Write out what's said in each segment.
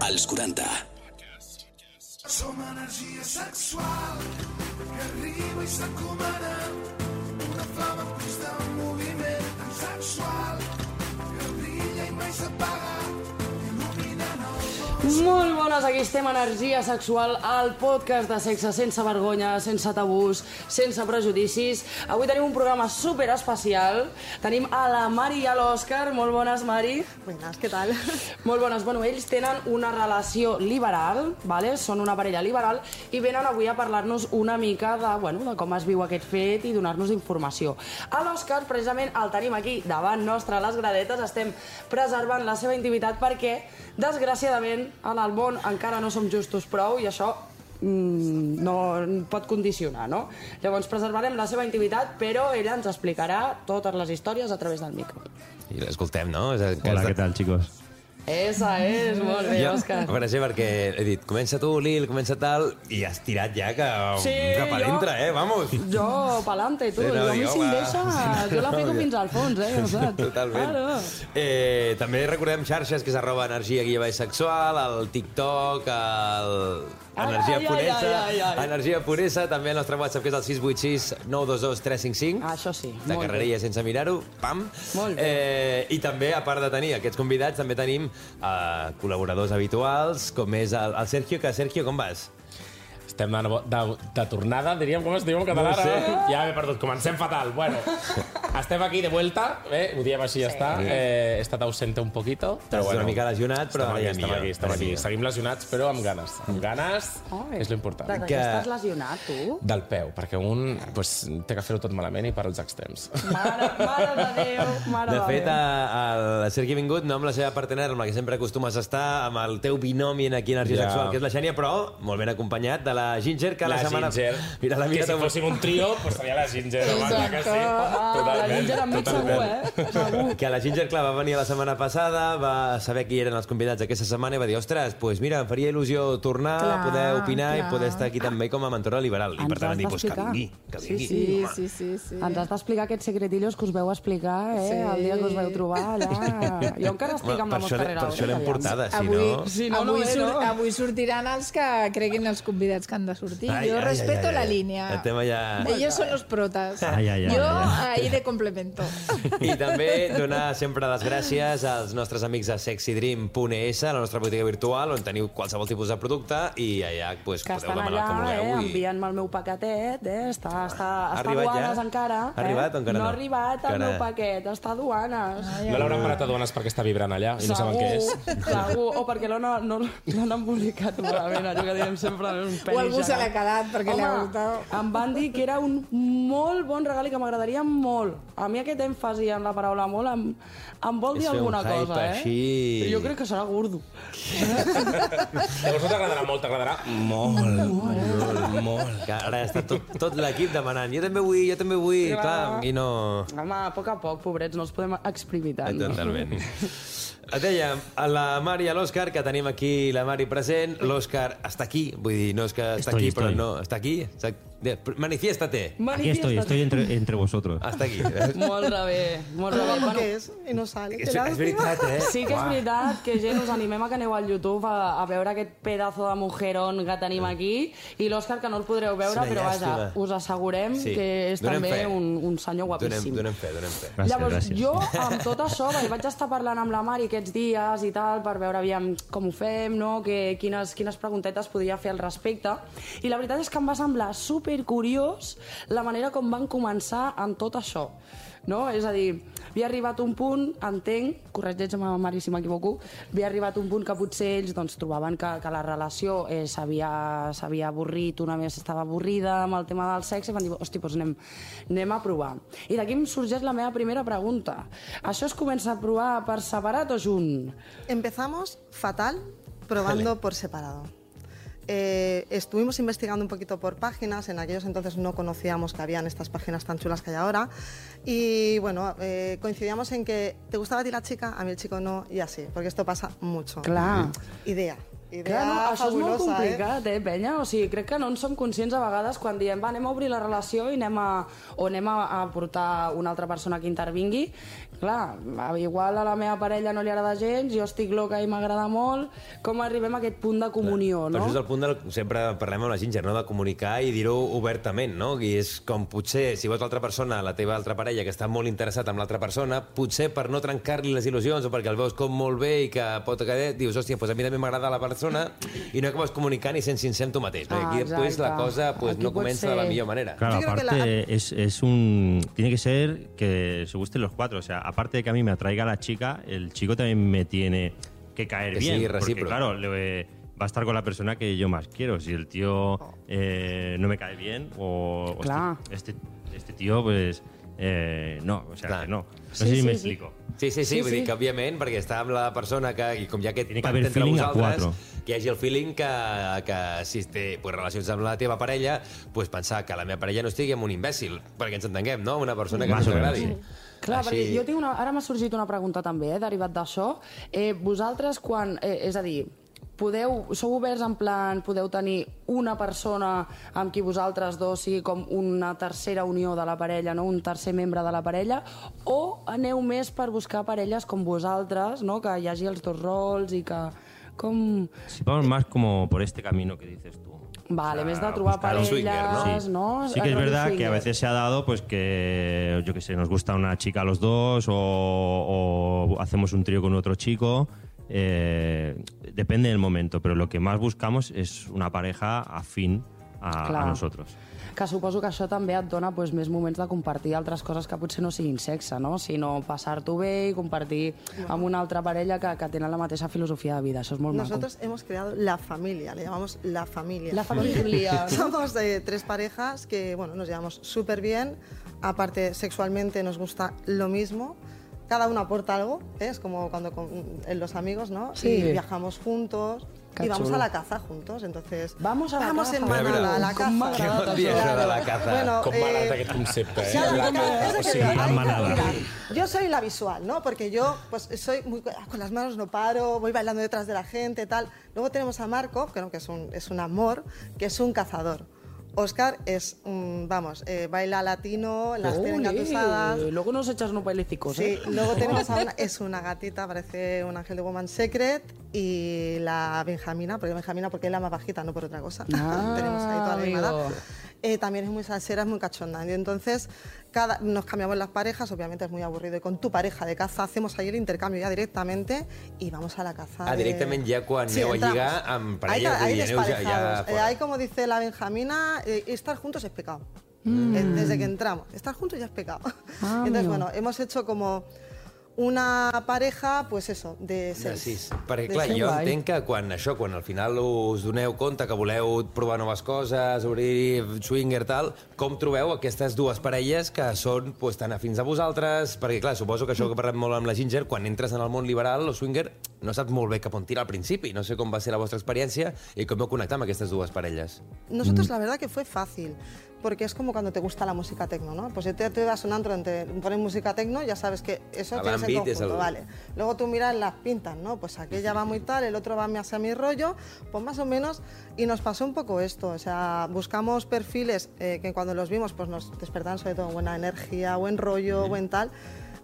Als 40. Som energia sexual que arriba i s'encomana, una flama en constant moviment tan sexual que brilla i mai s'apaga, il·luminant el món. Molt bones, aquí estem, Energia Sexual, el podcast de sexe sense vergonya, sense tabús, sense prejudicis. Avui tenim un programa super especial. Tenim a la Mari i a l'Òscar. Molt bones, Mari. Buenas, ¿qué tal? Molt bones. Bueno, ells tenen una relació liberal, ¿vale? Són una parella liberal i venen avui a parlar-nos una mica de com es viu aquest fet i donar-nos informació. A l'Òscar, precisament, el tenim aquí davant nostre a les gradetes. Estem preservant la seva intimitat perquè, desgraciadament, en el món encara no som justos prou i això no pot condicionar, no? Llavors preservarem la seva intimitat, però ella ens explicarà totes les històries a través del micro. I l'escoltem, no? Hola, ¿qué tal, chicos? Esa és, molt bé, Òscar. Per exemple, perquè he dit, comença tu, Lil, comença tal, i has tirat ja cap a dintre, vamos. Jo, pa'lante, tu. Jo a mi si em deixa, jo la fico fins al fons, ja saps. Totalment. També recordem xarxes, que és @energia_sexual, el TikTok, Energia Puresa, Energia Puresa, també el nostre WhatsApp, que és el 686 922 355. Això sí, de carrerilla sense mirar-ho, pam. Molt bé. I també, a part de tenir aquests convidats, també tenim col·laboradors habituals, com és el Sergio, que Sergio, com vas? Estem de tornada, diríem, com es diu en català? No sé. Ja m'he perdut, comencem fatal. Bueno, estem aquí de vuelta, ho diem així, ja està. He estat ausente un poquito, però Estàs una mica lesionat, però estem aquí. Seguim lesionats, però amb ganes. Amb ganes és l'important. De què estàs lesionat, tu? Del peu, perquè un té que fer-ho tot malament i per als extrems. Mare de Déu, mare de Déu. De fet, el Sergi ha vingut, no amb la seva partener, amb la que sempre acostumes a estar, amb el teu binomi aquí a Energia Sexual, que és la Xènia, però molt ben acompanyat de la Ginger, que la setmana... Mira, que si fóssim un trio, pues seria la Ginger. Exacte. La Ginger amb mi segur, segur. Que la Ginger, clar, va venir la setmana passada, va saber qui eren els convidats aquesta setmana i va dir, ostres, pues mira, em faria il·lusió tornar, poder opinar i poder estar aquí també com a mentora liberal. I per tant vam dir, pues que vingui. Sí. Ens has d'explicar aquests secretillos que us veu explicar, el dia que us veu trobar allà. Jo encara estic amb la mosca darrere. Per això l'hem portada, si no... Avui sortiran els que creguin els convidats que han de sortir. Yo respeto la línea. El tema ja... Ellos son los protas. Yo ahí de complemento. I també donar sempre les gràcies als nostres amics de sexydream.es, la nostra botiga virtual, on teniu qualsevol tipus de producte i allà pues, podeu demanar el que vulgueu. Enviant-me el meu paquetet, està a duanes ja? encara. Ha arribat o encara no? No ha arribat el meu paquet, està a duanes. No l'hauran parat a duanes perquè està vibrant allà i no saben què és. Segur, o perquè no l'han embolicat malament, allò que diem sempre, un peli. O algú se l'ha quedat perquè li ha gustat. Em van dir que era un molt bon regal i que m'agradaria molt. A mi aquest èmfasi en la paraula molt em vol dir alguna cosa, Així. Jo crec que serà gordo. Llavors no t'agradarà molt, t'agradarà molt. Que ara està tot l'equip demanant, jo també vull, clar, i no... Home, a poc, pobrets, no els podem exprimir tant. Totalment. Et dèiem, a la Mari i a l'Òscar, que tenim aquí la Mari present, l'Òscar està aquí, vull dir, no és que està aquí, però no, està aquí. Manifiéstate. Aquí estoy entre vosotros. Hasta aquí. Molt bé. Bueno, què és? I no sale. És veritat, Sí que és veritat que gent us animem a que aneu al YouTube a veure aquest pedazo de mujeron que tenim aquí, i l'Òscar, que no el podreu veure, però vaja, us assegurem que és també un senyor guapíssim. Donem fe. Llavors, jo amb tot això vaig estar parlant amb la Mari aquests dies i tal, per veure aviam com ho fem, no? Quines preguntetes podria fer al respecte, i la veritat és que em va semblar supercuriós la manera com van començar en tot això, no? És a dir, havia arribat un punt, entenc, corregeix-me, Mari, si m'equivoco, havia arribat un punt que potser ells trobaven que la relació s'havia avorrit, una més estava avorrida amb el tema del sexe, i van dir, hosti, doncs anem a provar. I d'aquí em sorgeix la meva primera pregunta. Això es comença a provar per separat o junt? Empezamos fatal, probando por separado. Estuvimos investigando un poquito por páginas, en aquellos entonces no conocíamos que habían estas páginas tan chulas que hay ahora, y bueno, coincidíamos en que te gustaba a ti la chica, a mí el chico no, y así, porque esto pasa mucho. Clar. Idea. Idea Això és molt fabulosa, complicat, penya? O sigui, crec que no en som conscients a vegades quan diem anem a obrir la relació i anem a portar una altra persona que intervingui. Clar, igual a la meva parella no li agrada gens, jo estic loca i m'agrada molt. Com arribem a aquest punt de comunió, no? Però això és el punt sempre parlem amb la Ginger, no? De comunicar i dir-ho obertament, no? I és com potser, si veus l'altra persona, la teva altra parella, que està molt interessat en l'altra persona, potser per no trencar-li les il·lusions o perquè el veus com molt bé i que pot quedar, dius, hòstia, doncs a mi també m'agrada la persona i no acabes comunicant i sent sincer amb tu mateix. Perquè aquí després la cosa no comença de la millor manera. Claro, aparte tiene que ser que se gusten los cuatro. O sea, aparte de que a mí me atraiga la chica, el chico también me tiene que caer que bien. Sí, porque, claro, va a estar con la persona que yo más quiero. Si el tío no me cae bien o este tío, pues no, o sea, que no. No sé si me explico. Sí, vull dir que, òbviament, perquè està amb la persona que, i com hi ha aquest pacte entre vosaltres, que hi hagi el feeling que si té relacions amb la teva parella, pues pensar que la meva parella no estigui amb un imbècil, perquè ens entenguem, no? Una persona que no t'agradi. Clar, perquè jo tinc ara m'ha sorgit una pregunta també, derivat d'això. Vosaltres quan... és a dir, sou oberts en plan, podeu tenir una persona amb qui vosaltres dos sigui com una tercera unió de la parella, no? Un tercer membre de la parella, o aneu més per buscar parelles com vosaltres, no? Que hi hagi els dos rols i que... Si vamos más como por este camino que dices tú. Vale, més de trobar parelles, swinger, ¿no? Sí que es verdad que a veces se ha dado pues que, yo qué sé, nos gusta una chica a los dos o hacemos un trío con otro chico. Depende del momento, pero lo que más buscamos es una pareja afín a nosotros. Que suposo que això també et dona més moments de compartir altres coses que potser no siguin sexe, no? Sinó passar-t'ho bé i compartir amb una altra parella que tenen la mateixa filosofia de vida. Això és molt maco. Nosotros hemos creado la familia, le llamamos la familia. La familia. Somos tres parejas que, bueno, nos llevamos súper bien. Aparte, sexualmente nos gusta lo mismo. Cada uno aporta algo, es como cuando en los amigos, ¿no? Sí. Y viajamos juntos y vamos a la caza juntos, entonces... Vamos a la caza. en manada a la caza. Què vol dir això de la caza? Bueno, Com m'agrada aquest concepte, yo soy la visual, ¿no? Porque yo pues soy muy con las manos no paro, voy bailando detrás de la gente, tal. Luego tenemos a Marco, que es un amor, que es un cazador. Óscar es, baila latino, las tiene engatusadas. Luego nos echas unos bailecicos, Sí, luego tenemos es una gatita, parece un ángel de Woman Secret, y la Benjamina, porque es la más bajita, no por otra cosa. Tenemos ahí toda la animada. También es muy salsera, es muy cachonda. Y entonces nos cambiamos las parejas, obviamente es muy aburrido. Y con tu pareja de caza hacemos ahí el intercambio ya directamente y vamos a la caza. Directament ja quan aneu a lligar amb parelles ahí i aneu ja fora. Ahí, como dice la Benjamina, estar juntos es pecado. Desde que entramos, estar juntos ya es pecado. Entonces, bueno, hemos hecho como una pareja, pues eso, de seis. Perquè, clar, jo entenc que quan al final us doneu compte que voleu provar noves coses, obrir swinger, tal, com trobeu aquestes dues parelles que són tan afins a vosaltres? Perquè, clar, suposo que això que parlem molt amb la Ginger, quan entres en el món liberal o swinger, no saps molt bé cap on tirar al principi. No sé com va ser la vostra experiència i com vau connectar amb aquestes dues parelles. Nosotros, la verdad, que fue fácil. Porque es como cuando te gusta la música tecno, ¿no? Pues si te vas a un antro donde ponen música tecno, ya sabes que eso tienes en conjunto, vale. Luego tú miras las pintas, ¿no? Pues aquella va muy tal, el otro va más a mi rollo, pues más o menos, y nos pasó un poco esto, o sea, buscamos perfiles que cuando los vimos pues nos despertaban sobre todo buena energía, buen rollo, buen tal,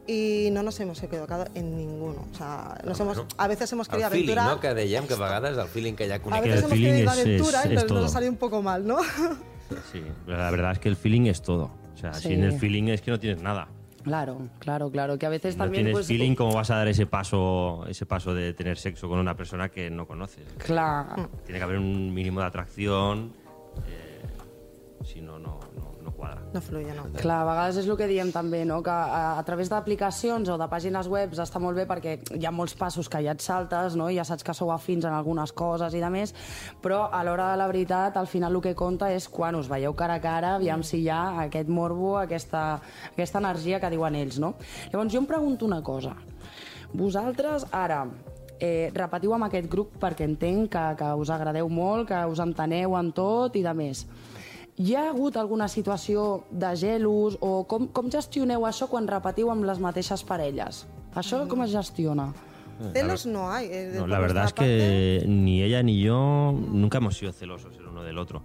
i no nos hemos equivocado en ninguno. O sea, a veces hemos querido aventurar... El feeling, no?, que dèiem, que a vegades el feeling que hi ha a veces hemos querido aventura, pero nos ha salido un poco mal, ¿no? Sí, la verdad es que el feeling es todo. O sea, sin el feeling es que no tienes nada. Claro, que a veces no también... No tienes feeling, ¿cómo vas a dar ese paso de tener sexo con una persona que no conoces? Claro. Tiene que haber un mínimo de atracción, si no quadra. No fluye, no. Clar, a vegades és el que diem també, no? Que a través d'aplicacions o de pàgines web està molt bé perquè hi ha molts passos que ja et saltes, no? Ja saps que sou afins en algunes coses i de més, però a l'hora de la veritat, al final el que compta és quan us veieu cara a cara, aviam si hi ha aquest morbo, aquesta energia que diuen ells, no? Llavors jo em pregunto una cosa. Vosaltres ara repetiu amb aquest grup perquè entenc que us agradeu molt, que us enteneu en tot i de més. Hi ha hagut alguna situació de gelos o com gestioneu això quan repetiu amb les mateixes parelles? Això com es gestiona? Celos no hay. No, la verdad es que ni ella ni yo nunca hemos sido celosos el uno del otro.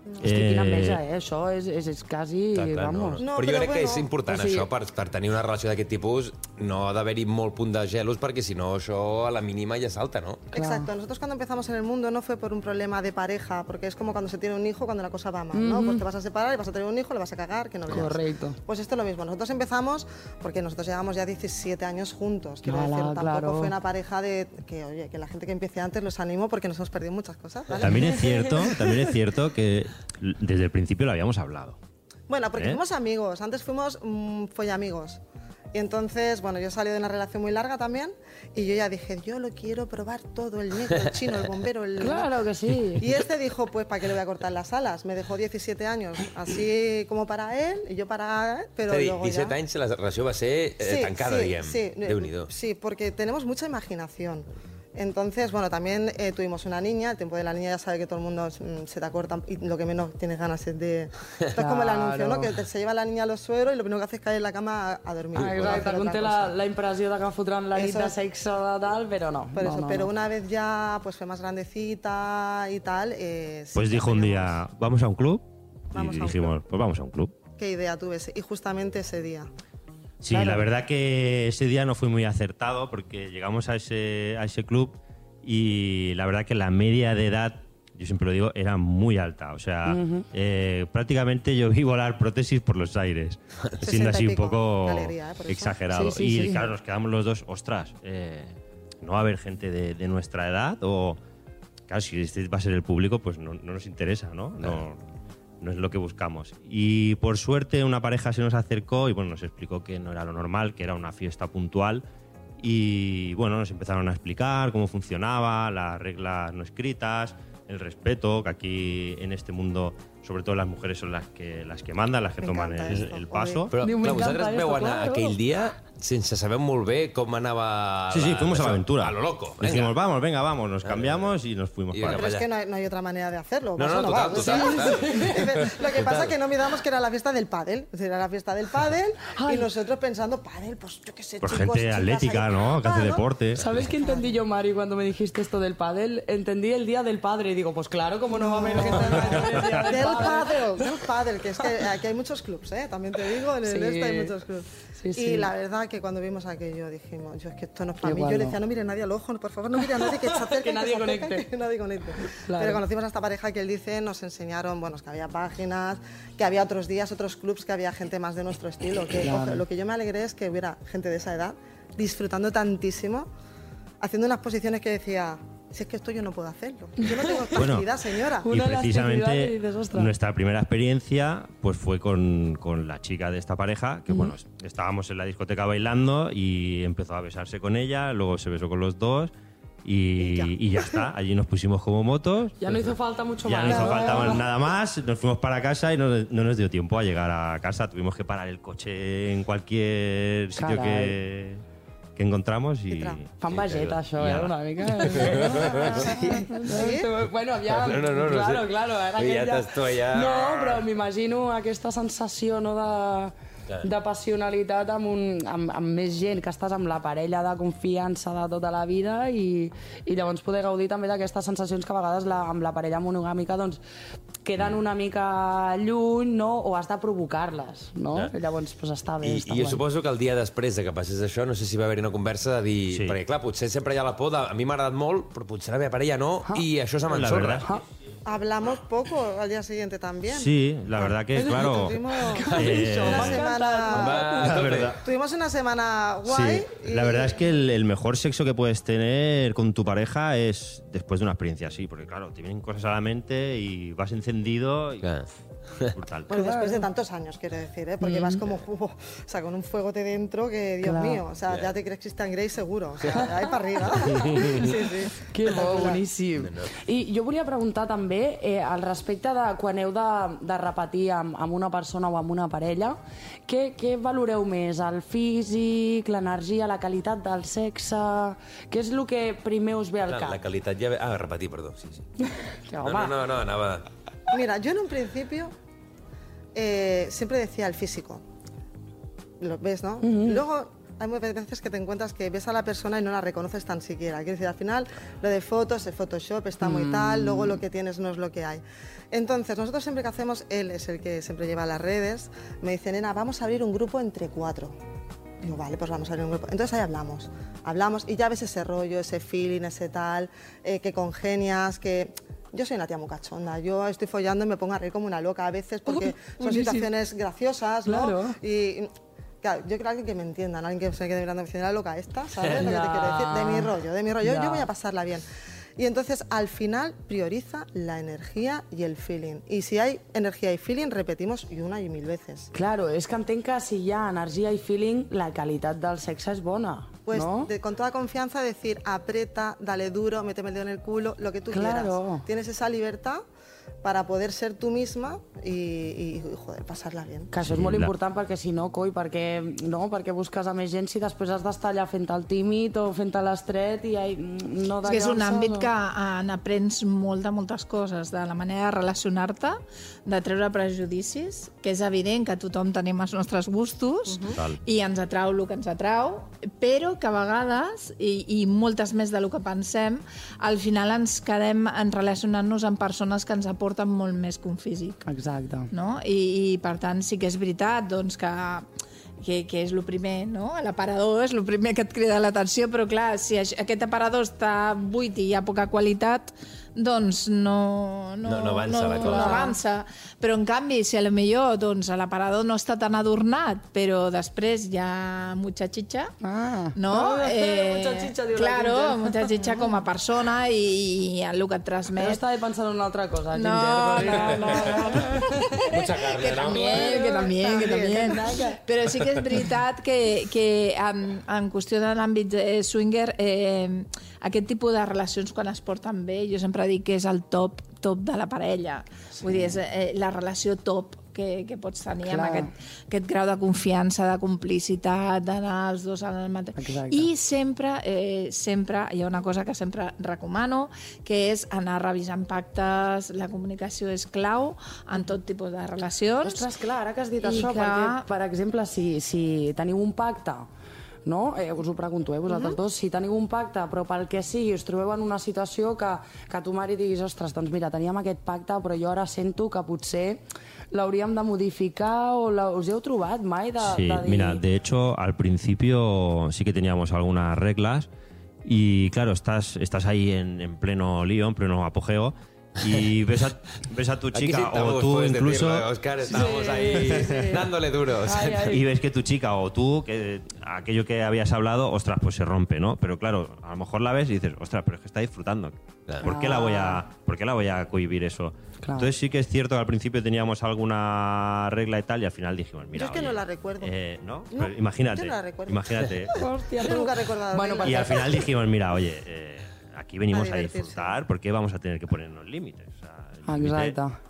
Hosti, quina enveja, això és quasi... Clar, vamos. No, però jo però crec que és bueno, important o sigui- això per tenir una relació d'aquest tipus, no ha d'haver-hi molt punt de gelos, perquè si no això a la mínima ja salta, ¿no? Exacto, nosotros cuando empezamos en el mundo no fue por un problema de pareja, porque es como cuando se tiene un hijo, cuando la cosa va mal, ¿no? Pues te vas a separar y vas a tener un hijo, le vas a cagar, que no veas. Correcto. Pues esto es lo mismo, nosotros empezamos porque nosotros llevamos ya 17 años juntos, quiero Ala, decir, tampoco claro. fue una pareja de que, oye, que la gente que empiece antes los animo porque nos hemos perdido muchas cosas, ¿vale? También es cierto que desde el principio lo habíamos hablado. Bueno, porque ¿Eh? fuimos amigos, antes fuimos follamigos. Y entonces, bueno, yo salí de una relación muy larga también y yo ya dije, yo lo quiero probar todo, el negro, el chino, el bombero, el... Claro que sí. Y este dijo, pues, ¿para qué le voy a cortar las alas? Me dejó 17 años, así como para él y yo para él, pero És a dir, luego 17 ya... anys la relació va ser tancada, diguem. Sí, Déu-n'hi-do. sí, porque tenemos mucha imaginación. Entonces, bueno, también tuvimos una niña, el tiempo de la niña ya sabe que todo el mundo se te acorta y lo que menos tienes ganas es de... Esto es como el anuncio, ¿no? Que se lleva la niña a los sueros y lo primero que hace es caer en la cama a dormir. Ah, no hacer exacte, otra un té cosa. la impressió de que fotran la nit Eso de es. sexe de tal, però no. Por eso, no, pero no. una vez ya pues fue más grandecita y tal... sí Pues que dijo un teníamos- día, ¿vamos a un club? Vamos Y a un dijimos, pues vamos a un club. ¿Qué idea tuve? Y justamente ese día. Sí, Claro. la verdad que ese día no fue muy acertado porque llegamos a ese club y la verdad que la media de edad, yo siempre lo digo, era muy alta. O sea, prácticamente yo vi volar prótesis por los aires, 60 siendo así y un pico. poco Qué alegría, por eso. exagerado. Sí, sí, y sí. claro, nos quedamos los dos, ostras, no va a haber gente de nuestra edad o... Claro, si este va a ser el público, pues no nos interesa, ¿no? No es lo que buscamos. Y por suerte una pareja se nos acercó y bueno, nos explicó que no era lo normal, que era una fiesta puntual. Y bueno, nos empezaron a explicar cómo funcionaba, las reglas no escritas, el respeto, que aquí en este mundo, sobre todo las mujeres son las que mandan, las que Me toman encanta esto, el paso. Però, Diu, clar, m'encanta vosaltres esto, veu anar claro. aquell dia sense saber molt bé com anava... Sí, fuimos a la aventura. A lo loco. Venga. Dijimos, vamos, nos cambiamos y nos fuimos Y para Pero vaya. es que no hay otra manera de hacerlo. No, eso no, va. total. Lo que pasa es que no miramos que era la fiesta del pádel. Es decir, era la fiesta del pádel y Ay. nosotros pensando, pádel, pues yo qué sé, Pues chicos, gente chicas atlética, ahí". ¿no? Que hace Claro. deporte. ¿Sabes qué entendí yo, Mari, cuando me dijiste esto del pádel? Entendí el Día del Padre y digo, pues claro, ¿cómo no va a haber gente del Día del Padre? Del pádel, que es que aquí hay muchos clubs, ¿eh? También te digo, en el Sí. este hay muchos clubs. Sí, sí. Y la verdad que cuando vimos aquello dijimos, yo es que esto no es para mí. Igual Yo le no. decía, no mire nadie al ojo, por favor, no mire a nadie que se acerque. Que nadie se acerque, conecte. Que nadie conecte. Claro. Pero conocimos a esta pareja que él dice, nos enseñaron, bueno, es que había páginas, que había otros días, otros clubs, que había gente más de nuestro estilo. Que, Claro. ojo, lo que yo me alegré es que hubiera gente de esa edad disfrutando tantísimo, haciendo unas posiciones que decía, si es que esto yo no puedo hacerlo. Yo no tengo facilidad, señora. Y Una elasticidad precisamente y dices, "Ostras". nuestra primera experiencia pues fue con la chica de esta pareja, que bueno, estábamos en la discoteca bailando y empezó a besarse con ella, luego se besó con los dos y ya está. Allí nos pusimos como motos. Ya no hizo falta mucho Ya más. no hizo falta ¿no? nada más, nos fuimos para casa y no nos dio tiempo a llegar a casa. Tuvimos que parar el coche en cualquier sitio que encontramos y... Fan vegeta, això, Ja. una mica. Sí? Bueno, aviam, No claro, sé. claro. Ara Ja aquella... estàs tu allà. No, però m'imagino aquesta sensació no, de passionalitat amb més gent, que estàs amb la parella de confiança de tota la vida i llavors poder gaudir també d'aquestes sensacions que a vegades amb la parella monogàmica doncs, queden una mica lluny, no? O has de provocar-les, no? Ja. Llavors pues, està bé. I està jo guai. suposo que el dia després de que passés això, no sé si va haver-hi una conversa de dir... Sí. Perquè, clar, potser sempre hi ha la por de... A mi m'ha agradat molt, però potser la meva parella no, i això se La m'ensorra. verdad. Hablamos poco al día siguiente también. Sí, la verdad que, claro... Tuvimos eh, una Va, semana... a la tope. verdad. Tuvimos una semana guay. Sí, la verdad es que el mejor sexo que puedes tener con tu pareja es después de una experiencia así, porque claro, te vienen cosas a la mente y vas encendido y Clar. es brutal. Bueno, después de tantos años, quiero decir, ¿eh? Porque vas como, o sea, con un fuegote dentro que, Dios Claro. mío, o sea, ya te crees Christian Grey seguro, o sea, ahí para arriba. Sí, sí. Que bo, boníssim. I jo volia preguntar també al respecte de quan heu de repetir amb una persona o amb una parella, què valoreu més? El físic, l'energia, la qualitat del sexe? Què és el que primer us ve al Clar, la cap? qualitat ja... Ah, repetir, perdó, sí. Que, No, home, no, anava... Mira, yo en un principio siempre decía el físico. Lo ves, ¿no? Luego hay muchas veces que te encuentras que ves a la persona y no la reconoces tan siquiera. Quiero decir, al final lo de fotos, el Photoshop está muy tal, luego lo que tienes no es lo que hay. Entonces, nosotros siempre que hacemos, él es el que siempre lleva las redes, me dice, nena, vamos a abrir un grupo entre 4. Digo, vale, pues vamos a abrir un grupo. Entonces ahí hablamos y ya ves ese rollo, ese feeling, ese tal, que congenias, que... Yo soy una tía muy cachonda, yo estoy follando y me pongo a reír como una loca a veces porque son situaciones graciosas, ¿no? Claro. Y claro, yo creo alguien que me entienda, ¿no? Alguien que se quede mirando y me dice, la loca esta, ¿sabes lo que te quiero decir? De mi rollo, yo voy a pasarla bien. Y entonces, al final, prioriza la energia i el feeling. I si hay energia i feeling, repetimos i una i 1000 veces. Claro, és que entenc que si hi ha energia i feeling, la qualitat del sexe és bona, Pues ¿no? con toda confianza decir, aprieta, dale duro, méteme el dedo en el culo, lo que tú Claro. quieras. Tienes esa libertad para poder ser tú misma y joder, pasarla bien. Que això és molt important perquè si no, coi, perquè busques a més gent si després has d'estar allà fent el tímid o fent l'estret i no És que és un àmbit que n'aprens moltes coses, de la manera de relacionar-te, de treure prejudicis, que és evident que tothom tenim els nostres gustos i ens atrau el que ens atrau, però que a vegades, i moltes més del que pensem, al final ens quedem en relacionant-nos amb persones que ens aporten molt més que un físic. Exacte. No? I per tant sí que és veritat doncs, que és el primer, no? L'aparador és el primer que et crida l'atenció, però clar, si aquest aparador està buit i hi ha poca qualitat, doncs no avança la cosa. No avança. Però en canvi, si potser doncs, l'aparador no està tan adornat, però després hi ha mucha chicha, no? Mucha chicha, diu la claro, Ginger. mucha chicha com a persona i el que et Jo transmet. estava pensant en una altra cosa, No. Mucha carne, Que ¿no? también. Però sí que és veritat que en qüestió de l'àmbit swinger, aquest tipus de relacions quan es porten bé, jo sempre dic que és el top de la parella. Vull dir, és la relació top que pots tenir amb aquest grau de confiança, de complicitat, d'anar els dos al mateix. Exacte. I sempre hi ha una cosa que sempre recomano, que és anar revisant pactes. La comunicació és clau en tot tipus de relacions. Ostres, clar, ara que has dit I això, que- perquè, per exemple, si teniu un pacte, no? Us ho pregunto, vosaltres dos, si teniu un pacte, però pel que sigui us trobeu en una situació que tu, Mari, diguis, ostres, doncs mira, teníem aquest pacte, però jo ara sento que potser l'hauríem de modificar o us heu trobat mai de Sí, dir... mira, de hecho, al principio sí que teníamos algunas reglas y, claro, estás ahí en pleno lío, en pleno apogeo y ves a tu Aquí chica sí o estamos, tú puedes incluso... decirlo, Óscar, estábamos ahí dándole duros. Y ves que tu chica o tú, que aquello que habías hablado, ostras, pues se rompe, ¿no? Pero claro, a lo mejor la ves y dices, ostras, pero es que está disfrutando. Claro. ¿Por qué la voy a cohibir eso? Claro. Entonces sí que es cierto que al principio teníamos alguna regla y tal, y al final dijimos, mira, Yo es que oye, no la recuerdo. ¿no? No, Pero imagínate, yo no la recuerdo. imagínate. Hòstia, Yo nunca he recordado. Bueno, reglas. Y al final dijimos, mira, oye, aquí venimos a divertirse. disfrutar, ¿por qué vamos a tener que ponernos límites? O sea, el límite- Exacte.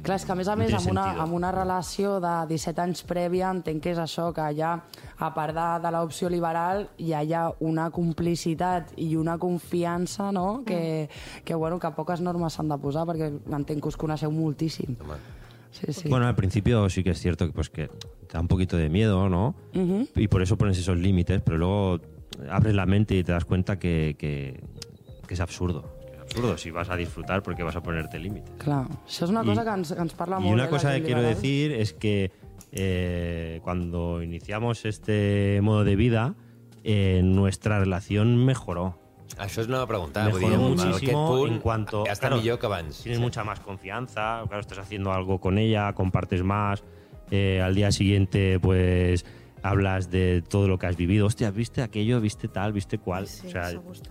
Clar, és que a més, No té amb sentido. una relació de 17 anys prèvia, entenc que és això, que ja, a part de l'opció liberal, ja hi ha una complicitat i una confiança, no?, que poques normes s'han de posar, perquè entenc que us coneixeu moltíssim. Sí. Bueno, al principio sí que es cierto que, pues, que te da un poquito de miedo, ¿no? Y por eso pones esos límites, pero luego abres la mente y te das cuenta que es absurdo. Si vas a disfrutar, ¿por qué vas a ponerte límites? Clar, això és una cosa que ens parla molt. Y una la cosa gent que quiero liberal. decir es que cuando iniciamos este modo de vida, nuestra relación mejoró. Això és una pregunta. Mejoró muchísimo en cuanto... Està claro, millor que abans. Tienes mucha más confianza, claro, estás haciendo algo con ella, compartes más, al día siguiente pues hablas de todo lo que has vivido. Hostia, ¿viste aquello? ¿Viste tal? ¿Viste cual? Sí, O sea, eso gusta.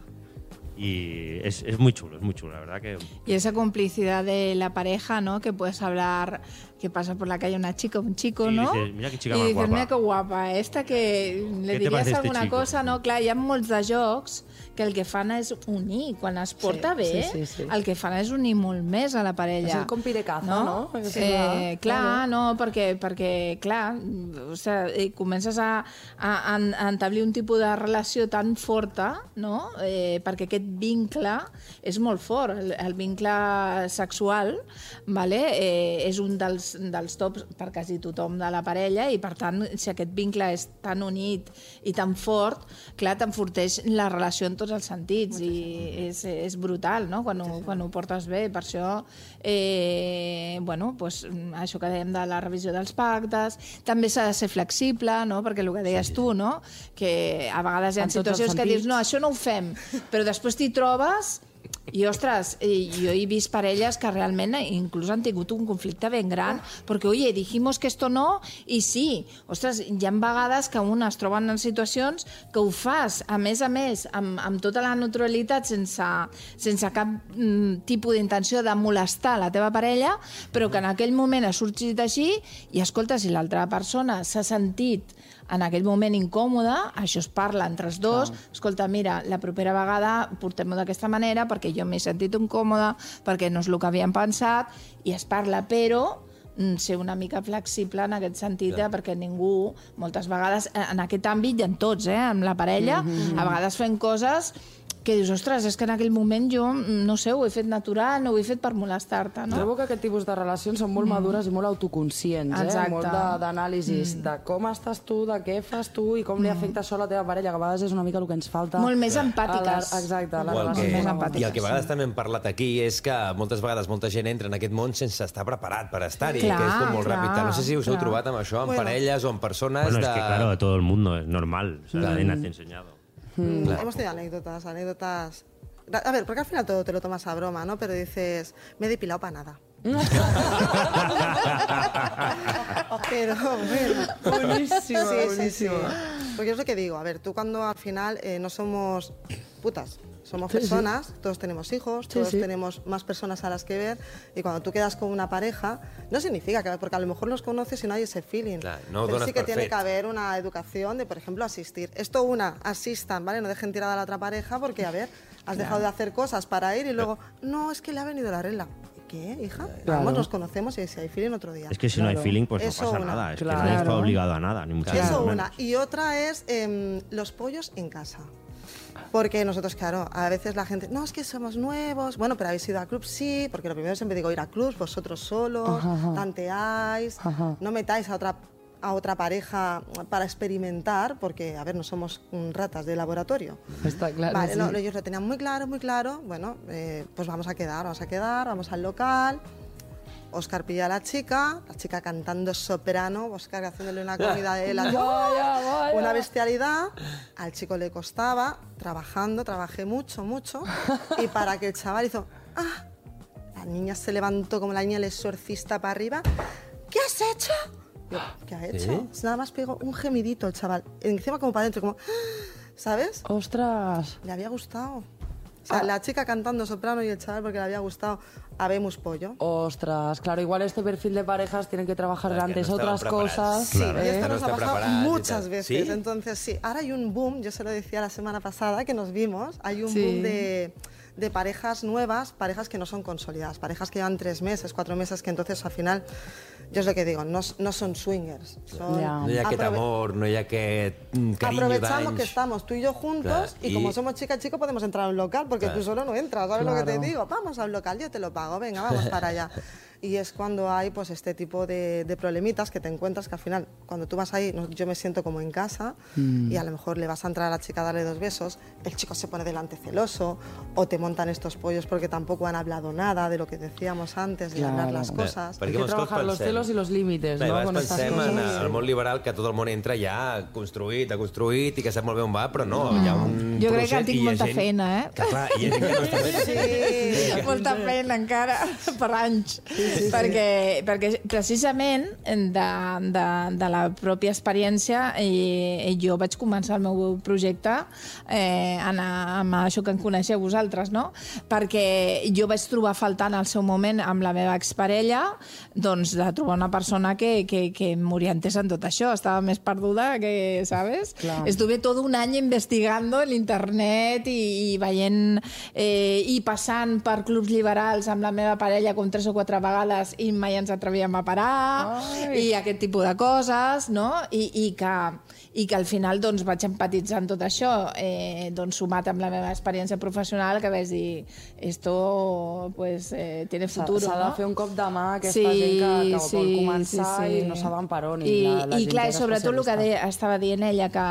y es muy chulo, la verdad que... Y esa complicidad de la pareja, ¿no? Que puedes hablar, que pasa por la calle una chica o un chico, Y ¿no? dices, mira qué chica y más dices, guapa. mira que guapa, esta que le Què te diries parece este alguna chico? cosa, no? Clar, hi ha molts de jocs que el que fan és unir. Quan es porta bé, sí. el que fan és unir molt més a la parella. És el compirecazo, no? Clar, no, perquè clar, o sigui, comences a establir un tipus de relació tan forta, no? Perquè aquest aquest vincle és molt fort. El vincle sexual, vale? És un dels tops per quasi tothom de la parella i, per tant, si aquest vincle és tan unit i tan fort, clar, t'enforteix la relació en tots els sentits i és brutal, no?, quan ho portes bé. Per això, bueno, doncs, això que dèiem de la revisió dels pactes, també s'ha de ser flexible, no?, perquè el que deies tu, no?, que a vegades hi ha situacions que dius, no, això no ho fem, però després t'hi trobes i, ostres, jo he vist parelles que realment inclús han tingut un conflicte ben gran, perquè, oye, dijimos que esto no, i sí. Ostres, hi ha vegades que un es troben en situacions que ho fas, a més, amb tota la naturalitat, sense cap tipus d'intenció de molestar la teva parella, però que en aquell moment ha sorgit així i, escolta, si l'altra persona s'ha sentit en aquell moment incòmode, això es parla entre els dos, escolta, mira, la propera vegada portem-ho d'aquesta manera perquè jo m'he sentit incòmode, perquè no és el que havíem pensat, i es parla, però ser una mica flexible en aquest sentit, perquè ningú, moltes vegades, en aquest àmbit i en tots, amb la parella, a vegades fem coses que dius, ostres, és que en aquell moment jo, no sé, ho he fet natural, no ho he fet per molestar-te, no? Trobo que aquest tipus de relacions són molt madures i molt autoconscients, molt d'anàlisis de com estàs tu, de què fas tu i com li afecta això a la teva parella, que a vegades és una mica el que ens falta. Molt més empàtiques. Exacte, les relacions més empàtiques. I el que a vegades també hem parlat aquí és que moltes vegades molta gent entra en aquest món sense estar preparat per estar-hi, que és com molt ràpid. No sé si us heu trobat amb això, amb parelles o amb persones Bueno, es que claro, todo el mundo es normal, o sea, nadie nace enseñado. Hemos tenido anécdotas. A ver, porque al final todo te lo tomas a broma, ¿no? Pero dices, me he depilado para nada. Pero bueno. Buenísimo, buenísimo. Sí. Porque es lo que digo, a ver, tú cuando al final no somos putas, somos personas, todos tenemos hijos, todos tenemos más personas a las que ver, y cuando tú quedas con una pareja, no significa que, porque a lo mejor los conoces y no hay ese feeling. Claro, no pero dones sí que per tiene fet. que haber una educación de, por ejemplo, asistir. Esto asistan, ¿vale? No dejen tirada a la otra pareja porque, a ver, has dejado de hacer cosas para ir y luego, no, es que le ha venido la regla. ¿Qué, hija? Vamos, nos conocemos y si hay feeling otro día. Es que si no hay feeling, pues Eso no pasa una. nada. Es que nadie está obligado a nada, ni mucho Eso menos. una. Y otra es los pollos en casa. Porque nosotros, claro, a veces la gente, no, es que somos nuevos, bueno, pero habéis ido a clubs, sí, porque lo primero siempre digo, ir a clubs, vosotros solos, tanteáis, no metáis a otra pareja para experimentar, porque, a ver, no somos ratas de laboratorio. Está claro, Vale, sí. no, ellos lo tenían muy claro, bueno, pues vamos a quedar, vamos al local. Óscar pilla a la chica cantando soprano, Óscar haciéndole una comida de helado, una bestialidad. Al chico le costaba, trabajé mucho, y para que el chaval hizo, la niña se levantó como la niña del exorcista para arriba. ¿Qué has hecho? Yo, ¿qué ha hecho? Nada más pegó un gemidito el chaval, encima como para adentro, como, ¿sabes? ostras. Le había gustado. O sea, la chica cantando soprano y el chaval porque le había gustado Habemos pollo. Ostras, claro, igual este perfil de parejas tienen que trabajar Claro, que antes no estaban otras preparadas. cosas. Sí, Claro, y esto no nos ha está pasado preparada y muchas tal. veces. ¿Sí? Entonces, sí, ahora hay un boom, yo se lo decía la semana pasada que nos vimos, hay un boom de parejas nuevas, parejas que no son consolidadas, parejas que llevan 3 meses, 4 meses, que entonces al final, yo es lo que digo, no son swingers. Son No hi ha aquest amor, no hi ha aquest carinyo aprovechamos d'anys. que estamos tú y yo juntos Claro, y como somos chica y chico podemos entrar a un local porque tú solo no entras, ¿sabes lo que te digo? Vamos a un local, yo te lo pago, venga, vamos para allá. Y es cuando hay pues este tipo de problemitas que te encuentras que al final, cuando tú vas ahí, yo me siento como en casa y a lo mejor le vas a entrar a la chica a darle 2 besos, el chico se pone delante celoso o te montan estos pollos porque tampoco han hablado nada de lo que decíamos antes, de hablar las cosas. Hay que trabajar los celos y los límites, Clar, no? a Con vegades estas pensem en cosas. el món liberal que tot el món entra ja construït i que sap molt bé on va, però no, hi ha un Jo crec que procés tinc i hi ha molta gent feina, Que, clar, hi ha gent que no està bé. molta feina encara per anys, perquè precisament de la pròpia experiència jo vaig començar el meu projecte amb això que en coneixeu vosaltres, no? Perquè jo vaig trobar faltant al seu moment amb la meva exparella doncs de trobar una persona que m'orientés en tot això, estava més perduda que, ¿sabes? Clar. Estuve todo un año investigando en internet i veient i passant per clubs liberals amb la meva parella com 3 o 4 vegades vegades i mai ens atrevíem a parar, i aquest tipus de coses, no? I que al final doncs, vaig empatitzar amb tot això, doncs, sumat amb la meva experiència professional, que vaig dir, esto pues, tiene futuro. S'ha de no? fer un cop de mà a aquesta gent que vol començar i no saben per on. I clar, sobretot el que estava dient ella, que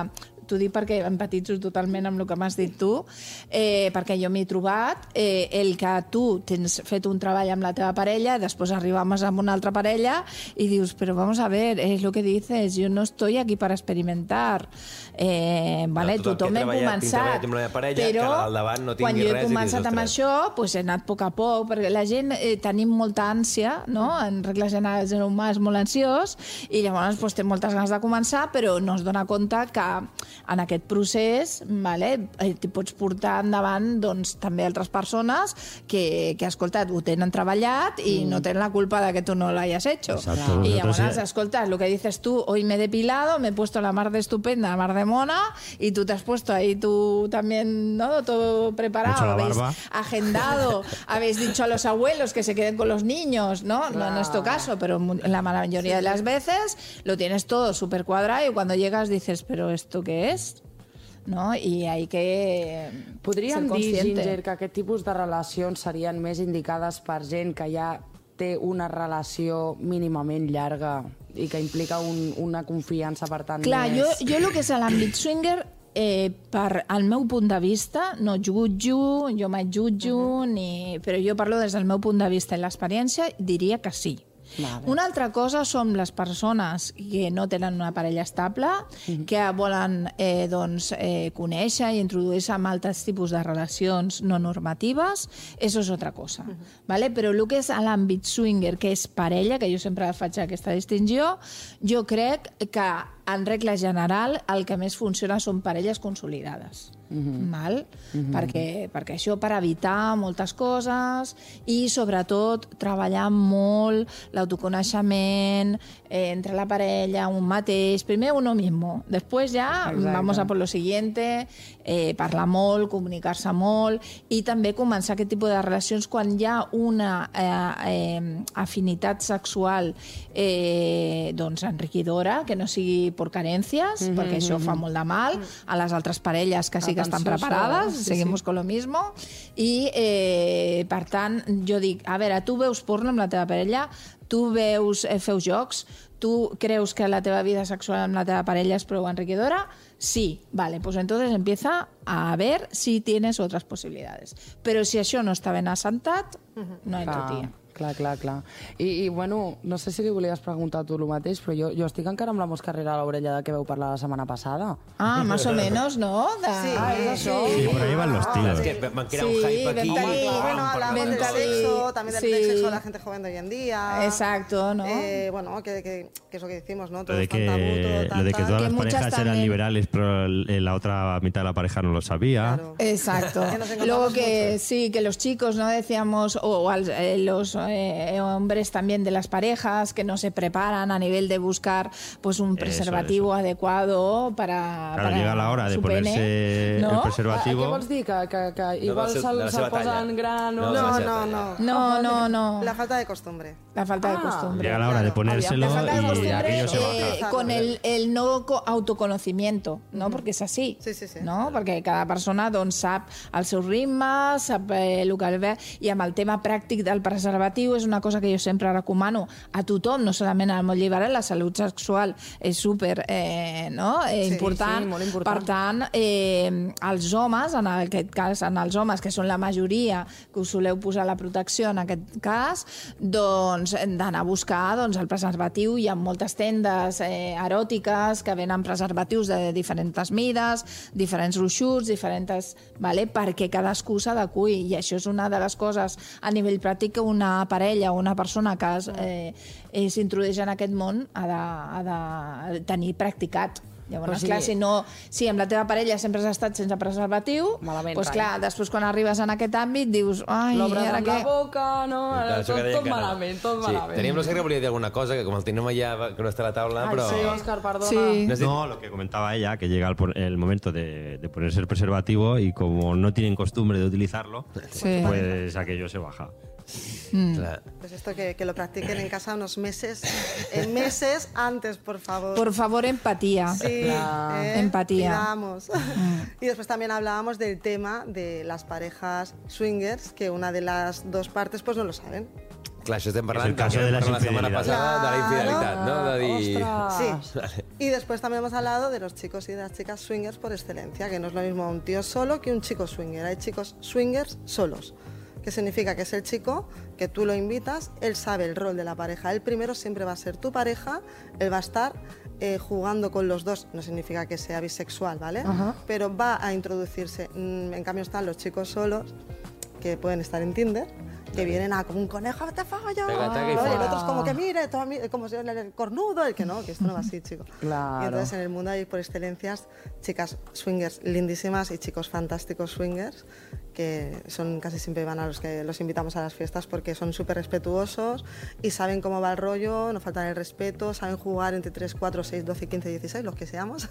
t'ho dic perquè empatitzo totalment amb el que m'has dit tu, perquè jo m'he trobat el que tu tens fet un treball amb la teva parella, després arribamos amb una altra parella i dius, però vamos a ver, es lo que dices, yo no estoy aquí para experimentar. Vale, tothom hem començat, però quan jo he començat amb això, pues he anat a poc a poc, perquè la gent tenim molta ànsia, no? En regles generals el humà és molt ansiós i llavors pues, té moltes ganes de començar, però no es dona compte que en aquest procés t'hi pots portar endavant doncs, també altres persones que escolta, ho tenen treballat i no tenen la culpa de que tu no lo hayas hecho. Exacto. Y llavors, escolta, lo que dices tú, hoy me he depilado, me he puesto la mar de estupenda, la mar de mona, y tú te has puesto ahí tú también, ¿no? Todo preparado, habéis agendado, habéis dicho a los abuelos que se queden con los niños, ¿no? No en este caso, pero la mayoría de las veces lo tienes todo súper cuadrado y cuando llegas dices, ¿pero esto qué es? No? I hay que Podríem ser consciente. dir, Ginger, que aquest tipus de relacions serien més indicades per gent que ja té una relació mínimament llarga i que implica una confiança, per tant, clar, més... jo el que és l'àmbit swinger, per al meu punt de vista, no jutjo, jo mai jutjo, però jo parlo des del meu punt de vista i l'experiència, diria que sí. Vale. Una altra cosa són les persones que no tenen una parella estable, que volen conèixer i introduir-se en altres tipus de relacions no normatives, això és altra cosa. Vale? Però el que és l'àmbit swinger, que és parella, que jo sempre faig aquesta distinció, jo crec que en regla general el que més funciona són parelles consolidades. Val? Perquè això per evitar moltes coses i sobretot treballar molt l'autoconeixement entre la parella, un mateix, primer uno mismo, després ja vamos a por lo siguiente, parlar molt, comunicar-se molt i també començar aquest tipus de relacions quan hi ha una afinitat sexual doncs enriquidora, que no sigui per carències, perquè això fa molt de mal a les altres parelles que sí que estan preparades, seguimos con lo mismo, i per tant jo dic, a veure, tu veus porno amb la teva parella, tu feu jocs, tu creus que la teva vida sexual amb la teva parella és prou enriquidora? Sí, vale, pues entonces empieza a ver si tienes otras posibilidades. Pero si això no està ben assentat, no entra, tia. Clar. I bueno, no sé si li volies preguntar tu el mateix, però jo estic encara amb la mosca rere l'orella de què veu parlar la setmana passada. Ah, más o menos, ¿no? Sí, és això. Sí, por ahí van los tiros. Es que van a crear un hype aquí. Bueno, hablamos del sexo, también del sexo de la gente joven de hoy en día. Exacto, ¿no? Bueno, que es lo que decimos, ¿no? Lo de que todas las parejas eran liberales, pero la otra mitad de la pareja no lo sabía. Claro. Exacto. Luego que sí, que los chicos, ¿no? Decíamos, o los hombres también de las parejas que no se preparan a nivel de buscar pues un preservativo adecuado para llega la hora de ponerse el preservativo. Què vols dir? Que igual se'l posen gran o... No. La falta de costumbre. La falta de costumbre. Llega la hora de ponérselo y aquello se baja. Con el no autoconocimiento, ¿no? Porque és així. Sí. No? Perquè cada persona doncs, sap el seu ritme, sap el que ve, i amb el tema pràctic del preservatiu és una cosa que jo sempre recomano a tothom, no solament al món liberal, la salut sexual és super important. Sí, molt important. Per tant, els homes, en aquest cas, els homes, que són la majoria que us soleu posar la protecció en aquest cas, doncs hem d'anar a buscar el preservatiu. Hi ha moltes tendes eròtiques que venen preservatius de diferents mides, diferents gruixuts, perquè cadascú s'adequi, i això és una de les coses a nivell pràctic que una parella o una persona que s'introdueix en aquest món ha de tenir practicat. Llavors, clar, si amb la teva parella sempre has estat sense preservatiu, doncs clar, després quan arribes en aquest àmbit dius, ai, l'obres ara amb què? la boca, no? Tot malament, tot malament. Teníem l'Òscar que volia dir alguna cosa, que com el tenim allà, que no està a la taula, però... Sí, Òscar, perdona. Sí. No, lo que comentaba ella, que llega el momento de ponerse el preservativo y como no tienen costumbre de utilizarlo, pues aquello se baja. Pues esto que lo practiquen en casa unos meses antes, por favor. Por favor, empatía. Sí, empatía. Cuidamos. Y después también hablábamos del tema de las parejas swingers, que una de las dos partes pues no lo saben. Clar, això estem parlant És el cas de la setmana infidelitat. passada de la infidelitat, no? De dir... Ostras. Sí. Y después también hemos hablado de los chicos y de las chicas swingers por excelencia, que no es lo mismo un tío solo que un chico swinger. Hay chicos swingers solos, que significa que es el chico que tú lo invitas, él sabe el rol de la pareja. Él primero siempre va a ser tu pareja, él va a estar jugando con los dos, no significa que sea bisexual, ¿vale? Pero va a introducirse. En cambio están los chicos solos, que pueden estar en Tinder, que vienen a como un conejo, te fallo. Taca, y Y fuera. el otro es como que mire, como si el cornudo, el que no, que esto no va así, chico. Claro. Y entonces en el mundo hay por excelencias chicas swingers lindísimas y chicos fantásticos swingers que son casi siempre van a los que los invitamos a las fiestas porque son súper respetuosos y saben cómo va el rollo, no faltan el respeto, saben jugar entre 3, 4, 6, 12, 15, 16, los que seamos.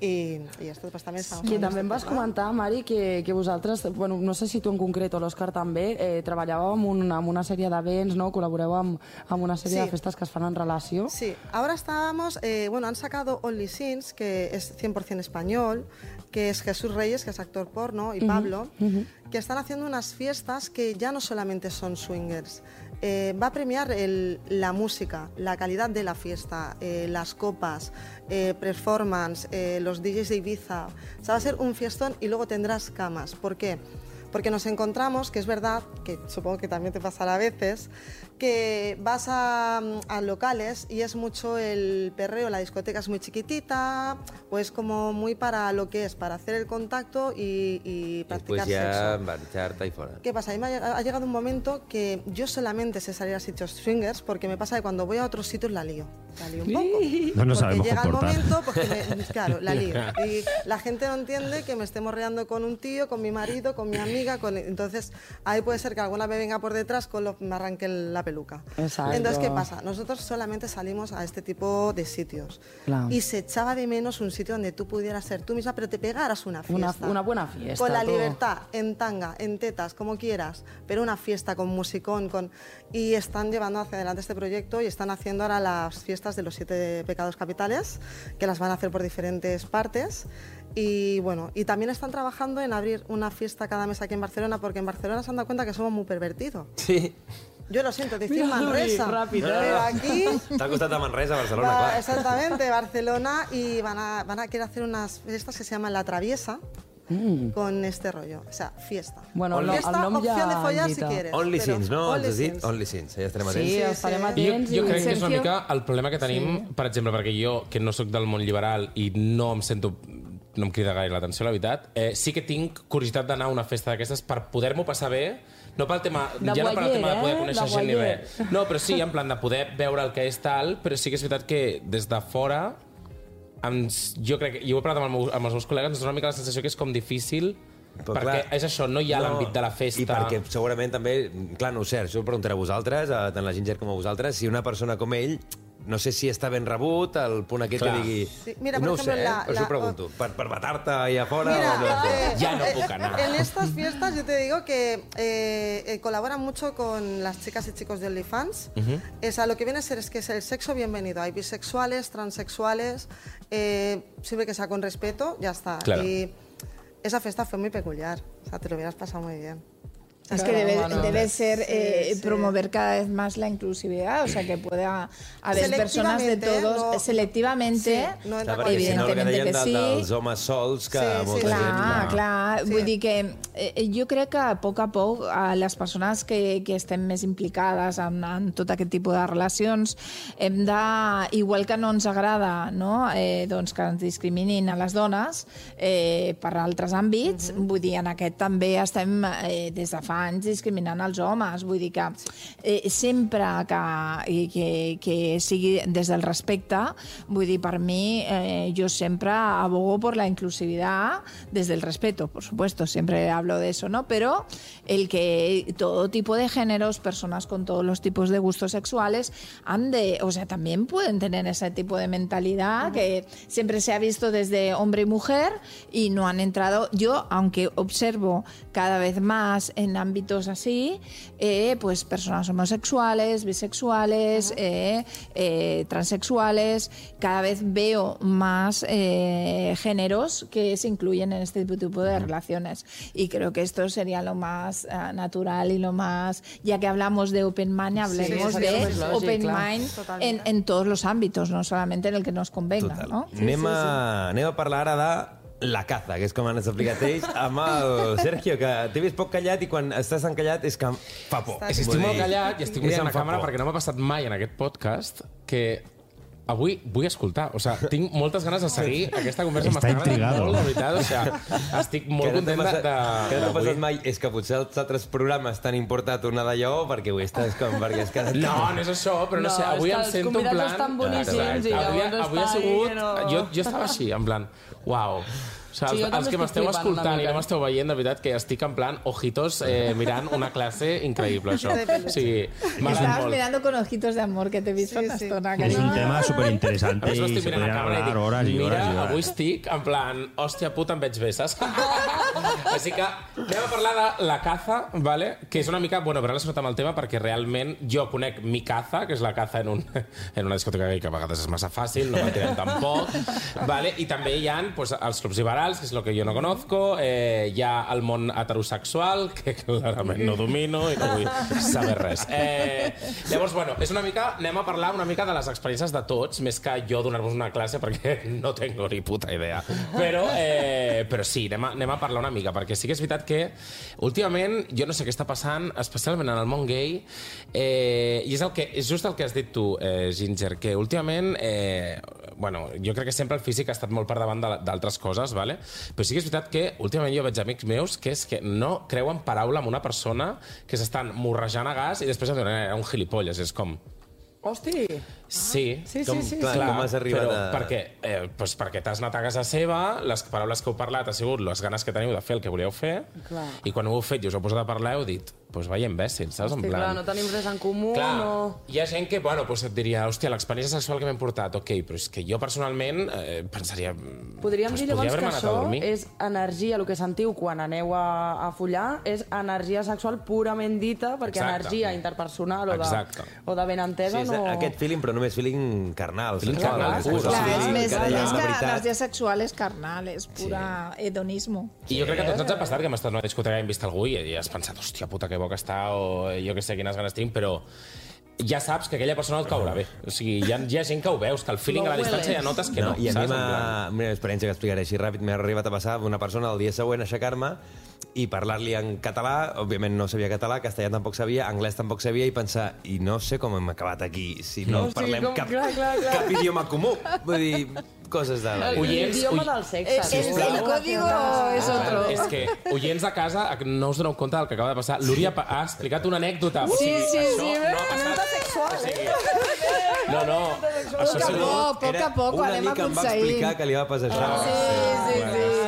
I esto pues també estamos Que també em vas comentar, Mari, que vosaltres, bueno, no sé si tu en concret o l'Òscar també, treballàveu amb una sèrie d'events, no? Col·laboreu amb una sèrie Sí. de festes que es fan en relació. Sí, ahora estábamos, bueno, han sacado Only Sins, que es 100% español, que es Jesús Reyes, que es actor porno, y Pablo, que están haciendo unas fiestas que ya no solamente son swingers. Va a premiar la música, la calidad de la fiesta, las copas, performance, los DJs de Ibiza. O sea, va a ser un fiestón y luego tendrás camas. ¿Por qué? Porque nos encontramos, que es verdad, que supongo que también te pasará a veces, que vas a locales y es mucho el perreo, la discoteca es muy chiquitita, o es como muy para lo que es, para hacer el contacto y practicar Después ya sexo. marcharte y fuera. ¿Qué pasa? A mí me ha llegado un momento que yo solamente sé salir a sitios swingers porque me pasa que cuando voy a otros sitios la lío un poco. No nos Porque sabemos llega el comportar. momento, porque claro, la lío. Y la gente no entiende que me esté morreando con un tío, con mi marido, con mi amiga, entonces ahí puede ser que alguna me venga por detrás me arranque la peluca. Exacto. Entonces, ¿qué pasa? Nosotros solamente salimos a este tipo de sitios. Claro. Y se echaba de menos un sitio donde tú pudieras ser tú misma, pero te pegaras una fiesta. Una buena fiesta. Con la todo. libertad, en tanga, en tetas, como quieras, pero una fiesta con musicón, y están llevando hacia adelante este proyecto y están haciendo ahora las fiestas de los 7 pecados capitales, que las van a hacer por diferentes partes. Y bueno, y también están trabajando en abrir una fiesta cada mes aquí en Barcelona, porque en Barcelona se han dado cuenta que somos muy pervertidos. Sí. Yo lo siento, decir Mira, Manresa, rápido. pero aquí... T'ha costat de Manresa a Barcelona, clar. Exactamente, Barcelona, y van a querer hacer unas fiestas que se llaman La Traviesa, con este rollo, o sea, fiesta. Bueno, fiesta, el nom opción ja de follar si invita. quieres. Only pero Sins, no? Only Ens has dit? Sins. Only Sins, ja estarem Sí, atents. estarem sí. atents. Jo crec que és una Sergio? mica el problema que tenim, per exemple, perquè jo, que no sóc del món liberal i no em crida gaire l'atenció, la veritat, sí que tinc curiositat d'anar a una festa d'aquestes per poder-m'ho passar bé, no pel tema, De ja no per el tema de poder voyeur, conèixer de gent ni voyeur. res. No, però sí, en plan de poder veure el que és tal, però sí que és veritat que des de fora, jo crec que, i ho he parlat amb els meus col·legues, és una mica la sensació que és com difícil, Però, perquè clar, és això, no hi ha l'àmbit de la festa. I perquè segurament també, clar, no ho sé, això ho preguntaré a vosaltres, tant la Ginger com a vosaltres, si una persona com ell, no sé si està ben rebut, el punt aquest Clar. que digui... Sí, mira, por no ho sé, ejemplo, per això ho pregunto. Per matar-te allà fora? Mira, o no? Ya no puc anar. en estas fiestas yo te digo que colaboran mucho con las chicas y chicos de OnlyFans. Es a lo que viene a ser es que es el sexo bienvenido. Hay bisexuales, transexuales, siempre que sea con respeto, ya está. Claro. Y esa fiesta fue muy peculiar. O sea, te lo hubieras pasado muy bien. Es que debe ser Sí, sí. promover cada vez más la inclusividad, o sea, que pueda haber personas de Selectivamente, todos, no- selectivamente, Sí, no entra Clar, perquè si no, el que evidentemente deien que sí. dels homes sols, que Sí, sí, molta sí. gent... Clar. Sí. Vull dir que jo crec que a poc les persones que estem més implicades en tot aquest tipus de relacions hem de, igual que no ens agrada, no? Doncs que ens discriminin a les dones per altres àmbits, vull dir, en aquest també estem des de fa anys discriminant els homes, vull dir que sempre que sigui des del respecte, vull dir, per mi jo sempre abogo por la inclusividad desde el respeto, por supuesto, siempre hablo de eso, ¿no? Pero el que todo tipo de géneros, personas con todos los tipos de gustos sexuales también pueden tener ese tipo de mentalidad que siempre se ha visto desde hombre y mujer y no han entrado. Yo, aunque observo cada vez más en ámbitos ámbitos así, pues personas homosexuales, bisexuales, transexuales. Cada vez veo más géneros que se incluyen en este tipo de relaciones. Y creo que esto sería lo más natural y lo más... Ya que hablamos de Open Mind, hablemos de Open Mind en todos los ámbitos, no solamente en el que nos convenga. No? Anem a parlar ara de la caza, que és com ens ha explicat ells, amb el Sergio, que t'he vist poc callat i quan estàs encallat és que fa por. Estic molt callat i estic mirant la càmera perquè no m'ha passat mai en aquest podcast que avui vull escoltar. O sigui, tinc moltes ganes de seguir aquesta conversa. Està intrigado. Molt, de veritat. O sigui, estic molt content de... Que no t'ha passat mai és que potser els altres programes t'han importat una d'allò perquè avui estàs com... Perquè has quedat... No és això, però no sé, avui em sento en plan... Els convidats estan boníssims i avui ha sigut... Jo estava així, en plan, uau... O sigui, els que m'esteu escoltant i no m'esteu veient, de veritat que estic en plan ojitos mirant una classe increïble, això. O sigui, estabas mirando con ojitos de amor, que t'he vist fa una estona. És un tema superinteressante i se podrien hablar hores i hores i mira, hores. avui estic en plan, hòstia puta, em veig bé, saps? Així que anem a parlar de la caza, ¿vale? Que és una mica, bueno, relacionat amb el tema perquè realment jo conec mi caza, que és la caza en una discoteca gay, que a vegades és massa fàcil, no m'entenem tampoc, ¿vale? I també hi ha pues, els clubs liberals, que és el que jo no conozco, hi ha el món heterosexual, que clarament no domino i no vull saber res. Llavors, bueno, és una mica, anem a parlar una mica de les experiències de tots, més que jo donar-vos una classe, perquè no tengo ni puta idea. Però sí, anem a parlar una mica, perquè sí que és veritat que últimament, jo no sé què està passant, especialment en el món gay, i és just el que has dit tu, Ginger, que últimament, bueno, jo crec que sempre el físic ha estat molt per davant d'altres coses, ¿vale? Però sí que és veritat que últimament jo veig amics meus que és que no creuen paraula amb una persona que s'estan morrejant a gas i després em diuen, un gilipolles, és com... Hosti! Sí. Clar, com has arribat a... Perquè t'has anat a casa seva, les paraules que heu parlat ha sigut les ganes que teniu de fer el que volíeu fer, i quan ho heu fet i us heu posat a parlar heu dit, doncs vaya imbècil, saps? Hosti, clar, no tenim res en comú, no... Hi ha gent que, bueno, doncs et diria, hòstia, l'experiència sexual que m'hem portat, ok, però és que jo personalment pensaria... Podríem dir llavors que això és energia, el que sentiu quan aneu a follar, és energia sexual purament dita, perquè energia interpersonal o de ben entesa no... Aquest feeling, però només feeling carnal. Feeling carnal. És més que l'energia sexual és carnal, és pura hedonismo. I jo crec que a tots ens ha passat que hem estat en una discoteca i hem vist algú i has pensat, hòstia puta, que bo que està, o jo que sé quines ganes tinc, però ja saps que aquella persona et caurà bé. O sigui, hi ha gent que ho veus, que el feeling a la distància ja notes que no. I a mi una experiència que explicaré així ràpid m'ha arribat a passar una persona el dia següent a aixecar-me i parlar-li en català, òbviament no sabia català, castellà tampoc sabia, anglès tampoc sabia, i pensar, i no sé com hem acabat aquí si no parlem cap idioma comú. Vull dir, coses de... L'idioma del sexe. El código és otro. És que, oients de casa, no us doneu compte del que acaba de passar. L'Úria ha explicat una anècdota. Sí, no ha passat. No. Poc a poc ho anem aconseguint. Una mica em va explicar que li va passar això. Sí,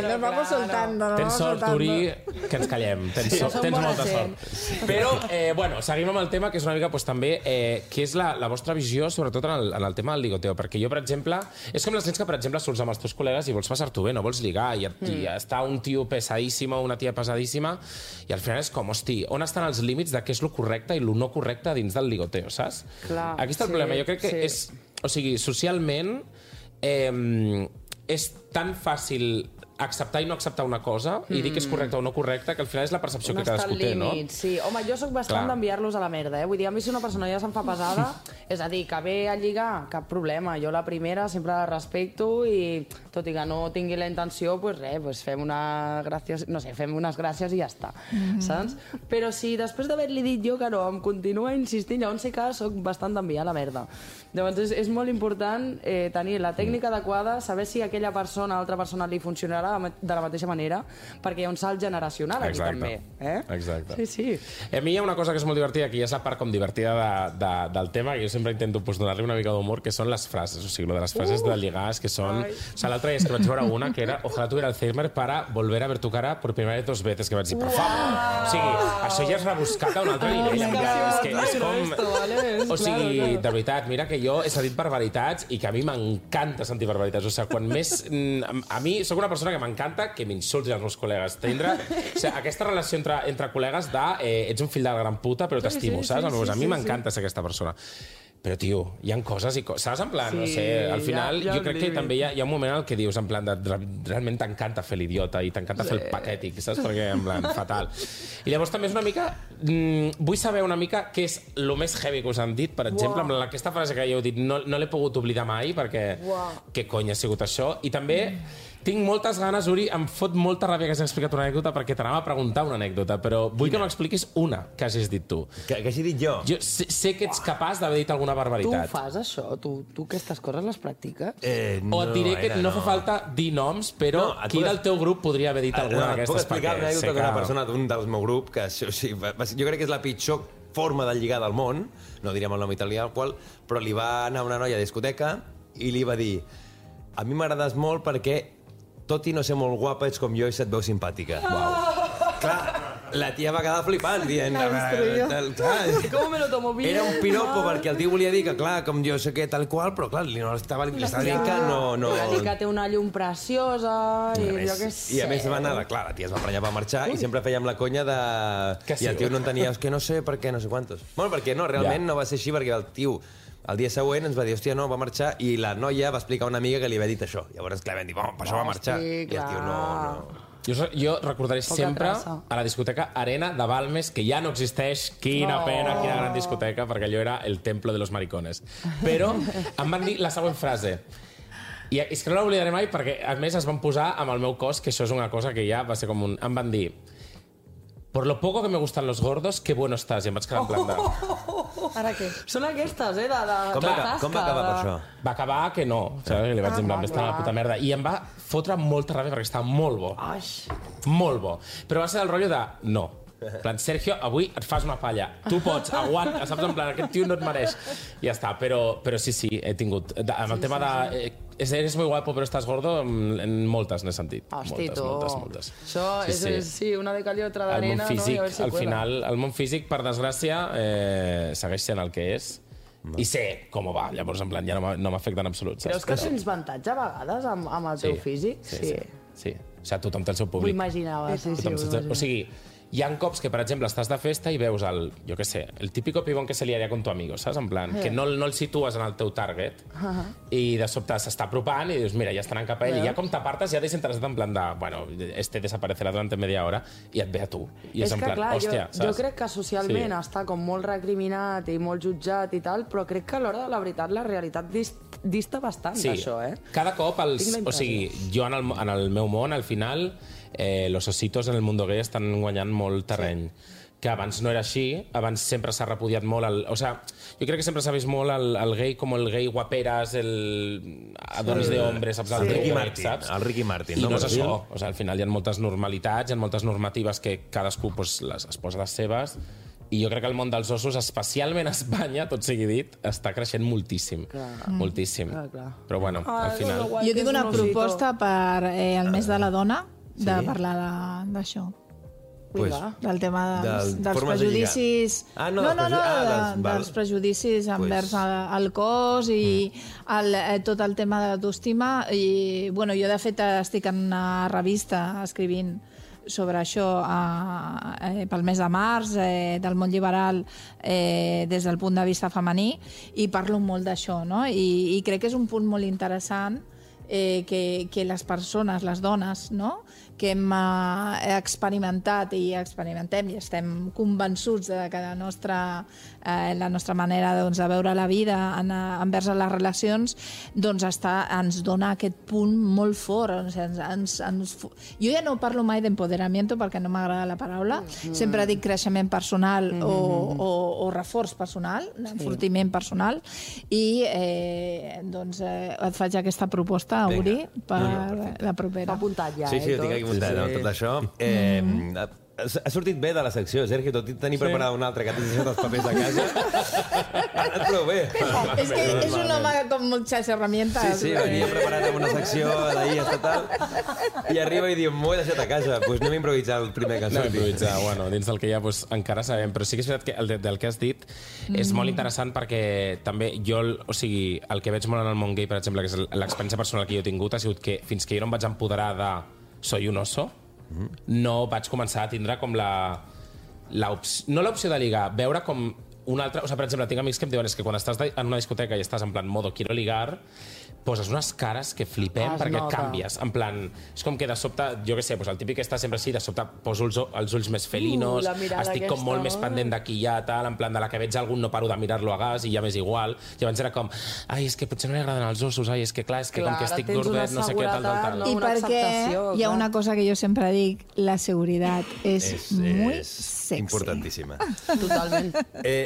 nos vamos soltando. Tens sort, Uri, que ens callem. Tens molta sort. Però, bueno, seguim amb el tema, que és una mica, també, que és la vostra visió, sobretot en el tema del ligoteo. Perquè jo, per exemple, és com les nits que, per exemple, surts amb els teus col·legues i vols passar-t'ho bé, no vols ligar, i està un tio pesadíssim o una tia pesadíssima, i al final és com, hosti, on estan els límits de què és lo correcte i lo no correcte dins del ligoteo, saps? Clar, aquí està el problema. Jo crec que és... O sigui, socialment és tan fàcil acceptar i no acceptar una cosa i dir que és correcta o no correcta, que al final és la percepció que cadascú té, no? Sí. Home, jo sóc bastant d'enviar-los a la merda, Vull dir, a mi si una persona ja se'n fa pesada, és a dir, que ve a lligar, cap problema. Jo la primera sempre la respecto i, tot i que no tingui la intenció, pues res, pues fem unes gràcies i ja està, saps? Però si després d'haver-li dit jo que no, em continua insistint, llavors sí que soc bastant d'enviar a la merda. Llavors és molt important tenir la tècnica adequada, saber si aquella persona, altra persona li funcionarà de la mateixa manera, perquè hi ha un salt generacional aquí també. Exacte. Sí. A mi hi ha una cosa que és molt divertida, que ja és la part com divertida del tema, que jo sempre intento donar-li una mica d'humor, que són les frases, o sigui, de les frases de lligars, que són... O sigui, l'altre dia és que vaig veure una, que era ojalá tuviera Alzheimer para volver a ver tu cara por primera vez 2 veces, que vaig dir, per favor! O sigui, això ja és rebuscat a un altre nivell. És com... O sigui, de veritat, mira que jo he sentit barbaritats i que a mi m'encanta sentir barbaritats. O sigui, quan més... A mi soc una persona perquè m'encanta que m'insultin els meus col·legues. Tindre aquesta relació entre col·legues de ets un fill de la gran puta, però t'estimo, saps? A mi m'encanta ser aquesta persona. Però, tio, hi ha coses i coses. Saps? En plan, no sé, al final jo crec que també hi ha un moment en el que dius, en plan, realment t'encanta fer l'idiota i t'encanta fer el patètic, saps? Perquè, en plan, fatal. I llavors també és una mica... vull saber una mica què és el més heavy que us han dit, per exemple, amb aquesta frase que ja heu dit, no l'he pogut oblidar mai, perquè què cony ha sigut això? I també tinc moltes ganes, Uri, em fot molta ràbia que hagis explicat una anècdota, perquè t'anava a preguntar una anècdota, però vull que m'expliquis una que hagis dit tu. Que hagi dit jo? Jo sé que ets capaç d'haver dit alguna barbaritat. Tu fas això? Tu aquestes coses les practiques? O et diré que no fa falta dir noms, però qui del teu grup podria haver dit alguna d'aquestes? Puc explicar una anècdota d'una persona d'un del meu grup, que jo crec que és la pitjor forma de lligar del món, no diríem el nom italià, però li va anar una noia a discoteca i li va dir: a mi m'agrades molt perquè tot i no ser molt guapa, ets com jo i se't veu simpàtica. Clar, la tia va quedar flipant, dient... Com me lo tomo bien? Era un piropo, perquè el tio volia dir que, clar, com jo sé què, tal qual, però, clar, li estava dient que no... Que té una llum preciosa i jo què sé... I a més va anar, clar, la tia es va prenyar per marxar i sempre fèiem la conya de... I el tio no entenia, és que no sé per què, no sé quantos. Bueno, perquè no, realment no va ser així, perquè el tio... El dia següent ens va dir, hòstia, no, va marxar, i la noia va explicar a una amiga que li havia dit això. Llavors, clar, vam dir, per això va marxar. I el tio no... Jo recordaré sempre a la discoteca Arena de Balmes, que ja no existeix. Quina pena, quina gran discoteca, perquè allò era el templo de los maricones. Però em van dir la següent frase. I és que no l'oblidaré mai, perquè a més es van posar amb el meu cos, que això és una cosa que ja va ser com un... Em van dir: por lo poco que me gustan los gordos, qué bueno estás. I em vaig quedar en plan de... Ara què? Són aquestes, Com va acabar per això? Va acabar que no, saps? Li vaig dir, en plan, està la puta merda. I em va fotre molta ràbia perquè estava molt bo. Molt bo. Però va ser el rotllo de no. En plan, Sergio, avui et fas una palla. Tu pots, aguanta, saps? En plan, aquest tio no et mereix. I ja està. Però sí, he tingut... Amb el tema de... Eres muy guapo, però estàs gordo, en moltes n'he sentit. Hosti, moltes. Això és una de cal i otra d'arena, no? I a veure si al final, el món físic, per desgràcia, segueix sent el que és. I sé com va, llavors, en plan, ja no m'afecta en absolut. Creus que tens avantatge a vegades amb el teu físic? Sí. O sigui, tothom té el seu públic. Ho imaginava, sí. O sigui, hi ha cops que, per exemple, estàs de festa i veus el típico pibón que se liaria con tu amigo, saps? En plan, que no el situes en el teu target i de sobte s'està apropant i dius, mira, ja estan cap a ell, i ja com t'apartes ja desinteressat en plan de, bueno, desaparecerà durant media hora i et ve a tu. I és en plan, hòstia, saps? Jo crec que socialment està com molt recriminat i molt jutjat i tal, però crec que a l'hora de la veritat la realitat dista bastant d'això, eh? Cada cop, o sigui, jo en el meu món, al final... los ositos en el mundo gay estan guanyant molt terreny. Que abans no era així, abans sempre s'ha repudiat molt o sea, jo crec que sempre s'ha vist molt el gay com el gay guaperas, el adonis de hombres, saps? El Ricky Martin. I no és això. O sea, al final hi ha moltes normalitats, hi ha moltes normatives que cadascú es posa les seves, i jo crec que el món dels ossos, especialment a Espanya, tot sigui dit, està creixent moltíssim. Moltíssim. Però bueno, al final... Jo tinc una proposta per el mes de la dona, de parlar d'això. Del tema dels prejudicis... dels prejudicis envers el cos i tot el tema de l'autoestima. I jo, de fet, estic en una revista escrivint sobre això pel mes de març, del món liberal des del punt de vista femení, i parlo molt d'això, no? I crec que és un punt molt interessant que les persones, les dones, no?, que hem experimentat i experimentem i estem convençuts de que la nostra manera de veure la vida envers les relacions ens dona aquest punt molt fort. Jo ja no parlo mai d'empoderamiento perquè no m'agrada la paraula, sempre dic creixement personal o reforç personal, enfortiment personal, i et faig aquesta proposta, Uri, per la propera. M'ha apuntat ja, Sí, ho tinc aquí apuntat, tot això. Ha sortit bé de la secció, Sergi, tot i tenir preparada una altra que t'has deixat els papers a casa. Ha anat prou bé. És que és un home con muchas herramientas. Sí, venia preparat amb una secció d'ahir estatal i arriba i diu, m'ho he deixat a casa, doncs anem a improvisar el primer que surti. Anem a improvisar, bueno, dins del que hi ha encara sabem, però sí que és veritat que del que has dit és molt interessant perquè també jo, o sigui, el que veig molt en el món gay, per exemple, que és l'experiència personal que jo he tingut, ha sigut que fins que jo no em vaig empoderar de soy un oso, no vaig començar a tindre com no l'opció de ligar, veure com un altre... O sigui, per exemple, tinc amics que em diuen que quan estàs en una discoteca i estàs en plan modo quiero ligar, poses unes cares que flipem perquè canvies. En plan, és com que de sobte, jo què sé, el típic que està sempre així, de sobte poso els ulls més felinos, estic com molt més pendent d'aquí ja, tal, en plan de la que veig algun no paro de mirar-lo a gas i ja m'és igual. I abans era com, ai, és que potser no li agraden els ossos, ai, és que clar, és que com que estic gordet, no sé què, tal. I perquè hi ha una cosa que jo sempre dic, la seguretat és muy sexy. Importantíssima. Totalment.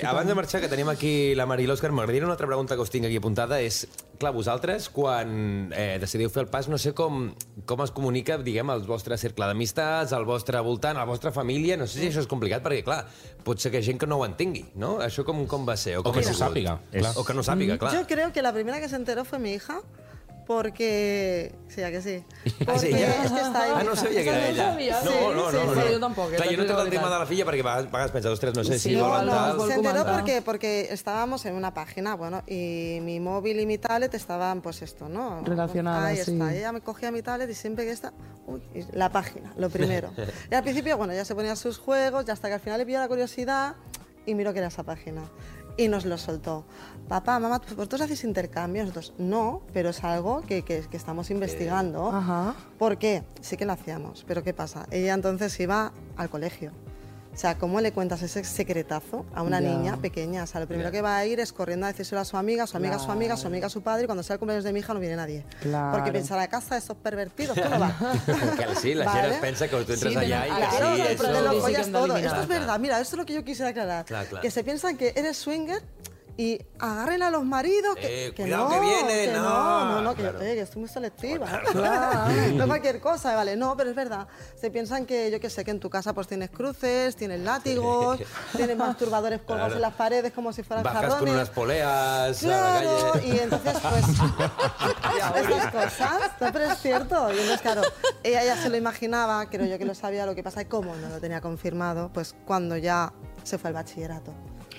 Abans de marxar, que tenim aquí la Mari i l'Òscar, m'agradaria una altra pregunta que us tinc aquí apuntada, és, clar, vosaltres, quan decidiu fer el pas, no sé com es comunica, diguem, el vostre cercle d'amistats, el vostre voltant, la vostra família, no sé si això és complicat, perquè, clar, pot ser que gent que no ho entengui, ¿no? Això com va ser? O que no sàpiga. O que no sàpiga, clar. Yo creo que la primera que se enteró fue mi hija, porque... Sí, ¿a que sí? Ah, sí, Porque es que está ahí. Ah, no sabia que era ella. No. Jo tampoc. Clar, jo no he tocat el tema de la filla perquè a vegades penso, ostres, no sé si volen tal... Se enteró porque estábamos en una página, bueno, y mi móvil y mi tablet estaban, pues esto, ¿no? Relacionadas, ahí sí. está. Y ella me cogía mi tablet y siempre que está... Uy, la página, lo primero. Y al principio, bueno, ya se ponía sus juegos, y hasta que al final le pilló la curiosidad y miró que era esa página. Y nos lo soltó. Papá, mamá, ¿vosotros hacéis intercambios? Nosotros, no, pero es algo que estamos investigando. Ajá. ¿Por qué? Sí que lo hacíamos, pero ¿qué pasa? Ella entonces iba al colegio. O sea, ¿cómo le cuentas ese secretazo a una niña pequeña? O sea, lo primero que va a ir es corriendo a decírselo a su amiga, su amiga, su amiga, su amiga, su padre, y cuando sea el cumpleaños de mi hija no viene nadie. Claro. Porque pensará, a casa de esos pervertidos, tú no vas. Que sí, la gent es pensa que tú entras allá y que Claro, sí, pero te lo eso... follas todo. Esto es verdad, mira, esto es lo que yo quisiera aclarar. Claro. Que se piensan que eres swinger y agarren a los maridos que cuidado no, que viene, no, claro. que estoy muy selectiva. Claro. No cualquier cosa, vale, no, pero es verdad. Se piensan que, yo que sé, que en tu casa pues tienes cruces, tienes látigos, tienes masturbadores colgados en las paredes como si fueran Bajas jarrones. con unas poleas Claro, a la calle. y entonces pues estas cosas, no, pero es cierto. Y entonces claro, ella ya se lo imaginaba, creo yo que lo sabía, lo que pasa es cómo no lo tenía confirmado, pues cuando ya se fue al bachillerato.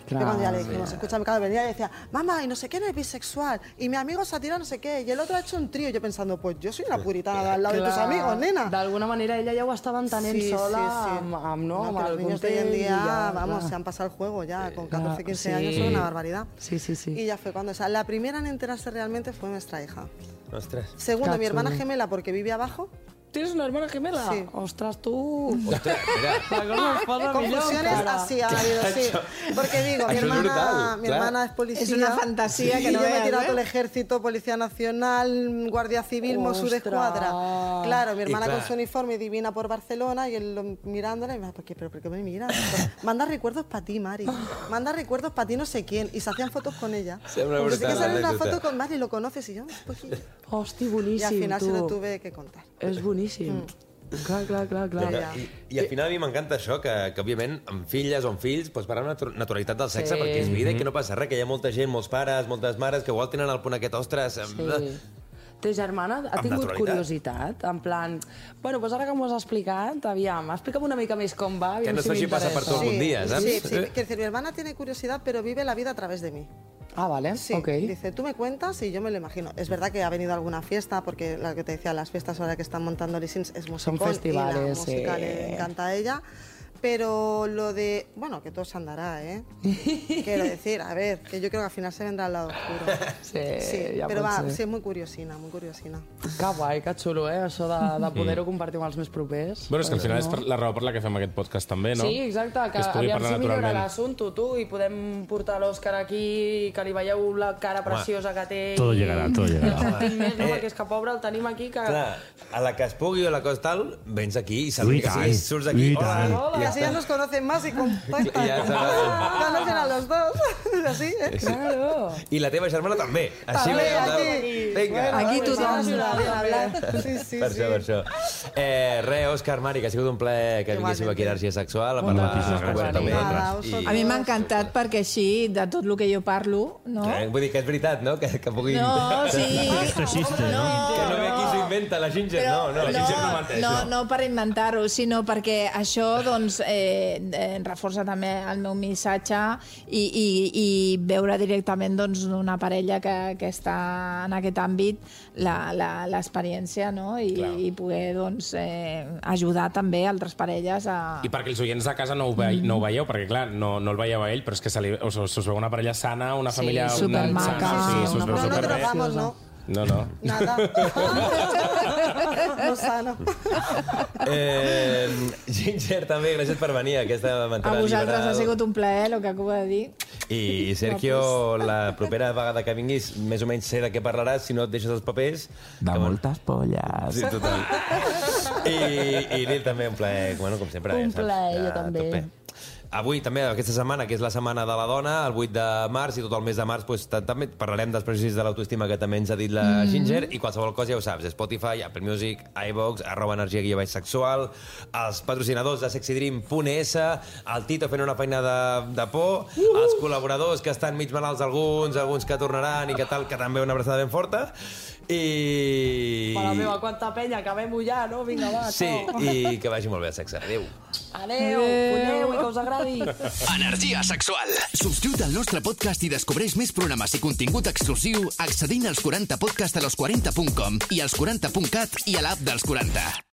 Claro, cuando ya le dijimos, escúchame, claro, venía y decía, mamá, y no sé qué, no es bisexual, y mi amigo se ha tirado no sé qué, y el otro ha hecho un trío, y yo pensando, pues yo soy una puritana de al lado de tus amigos, nena. D'alguna manera ella ja ho estava entenent sola amb los el niños de hoy en context día, ja, vamos, clar. se han pasado el juego ya, con 14, 15 años, es una barbaridad. Sí. Y ya fue cuando, o sea, la primera en enterarse realmente fue nuestra hija. Ostres. Segundo, mi hermana Cacho. gemela, porque vive abajo. ¿Tienes una hermana gemela? Sí. Ostras, tú... Ostres, mira. La cosa es posa Confusiones así ha habido, sí. Porque digo, mi Això és brutal, hermana es policía. Es una fantasía que y no yo me he veas, tirado ¿eh? todo el ejército, Policía Nacional, Guardia Civil, Mossos de Escuadra. Claro, mi hermana claro. con su uniforme divina por Barcelona y él mirándola y me dice, ¿pero por qué me miras? Manda recuerdos para ti, Mari. Manda recuerdos para ti no sé quién. Y se hacían fotos con ella. Sembla Pues sí que brutal, sale una l'anècdota. foto con Mari, lo conoces y yo, pues sí. Hosti, Y boníssim, al final tu. se lo tuve que contar. És boníssim. Clar. I al final a mi m'encanta això, que òbviament amb filles o amb fills pots parlar una naturalitat del sexe perquè és vida i que no passa res, que hi ha molta gent, molts pares, moltes mares que igual tenen el punt aquest, ostres... Sí. Ta germana ha Amb tingut naturalitat. curiositat? En plan, bueno, doncs ara que m'ho has explicat, aviam, explica'm una mica més com va, Que aviam no si es faci passar per tu m'interessa. algun dia, saps? Sí. Quiero decir, mi hermana tiene curiosidad, pero vive la vida a través de mí. Ah, vale, Sí, ok. dice, tú me cuentas y yo me lo imagino. Es verdad que ha venido a alguna fiesta, porque lo que te decía, las fiestas ahora que están montando Lissins es musicón. Son festivales, y la música sí. le encanta a ella. Pero lo de... Bueno, que todo se andará, ¿eh? Quiero decir, a ver, que yo creo que al final se vendrá al lado oscuro. Sí, ja pero pot va, ser. sí, es muy curiosina, muy curiosina. Que guai, que xulo, això de poder-ho compartir amb els més propers. Bueno, és que al final és la raó per la que fem aquest podcast també, no? Sí, exacte, que es pugui aviam parlar si millora naturalment. l'assumpte, tu, i podem portar l'Òscar aquí, que li veieu la cara preciosa que té. Todo llegará, todo I llegará. el sentim més, no? Perquè és que pobre el tenim aquí, que... Clar, a la que es pugui o la cosa tal, vens aquí i saludes, I tant, surts d'aquí, i tant. Y así ya nos conocen más y contactan. Ya está. Conocen a los dos. Así, ¿eh? Claro. I la teva germana també. Així També, veiem, aquí. Vinga. Aquí tothom. Sí, Per això. Òscar, Mari, que ha sigut un plaer que vinguéssiu aquí a Energia Sexual a parlar Moltíssimes gràcies a obertament. vosaltres. A mi m'ha encantat perquè així, de tot el que jo parlo, no? Vull dir que és veritat, no? Que pugui... No, sí. Esto existe, ¿no? Que no ve aquí su inventa, la Ginger no. La Ginger no menteix. No per inventar-ho, sinó perquè això doncs, reforça també el meu missatge i veure directament doncs, una parella que està en aquest àmbit l'experiència, no? I poder doncs, ajudar també altres parelles a... I perquè els oients de casa no ho veieu, perquè clar, no el veieu a ell, però és que us veu una parella sana, una família... supermaca. Sí, no drogamos, ¿no? No. Nada. No sana. Ginger, també, gràcies per venir a aquesta A vosaltres ha sigut un plaer, el que acabo de dir. I Sergio, la propera vegada que vinguis, més o menys sé de què parlaràs, si no et deixes els papers... De moltes polles. Sí, total. I Lil, també un plaer, bueno, com sempre. Un plaer, jo també. Avui, també, aquesta setmana, que és la Setmana de la Dona, el 8 de març i tot el mes de març, doncs, també parlarem dels prejudicis de l'autoestima que també ens ha dit la Ginger, i qualsevol cosa ja ho saps, Spotify, Apple Music, iVox, @energia_sexual, els patrocinadors de sexydream.es, el Tito fent una feina de por, els col·laboradors que estan mig malalts alguns que tornaran i que tal, que també una abraçada ben forta, i... Mare meva, quanta penya, acabem-ho ja, no? Vinga, va, sí, i que vagi molt bé el sexe. Adéu. Adéu, poneu i que us agradi. Energia sexual. Subscriu't al nostre podcast i descobreix més programes i contingut exclusiu accedint als 40podcast a los40.com i als 40.cat i a l'app dels 40.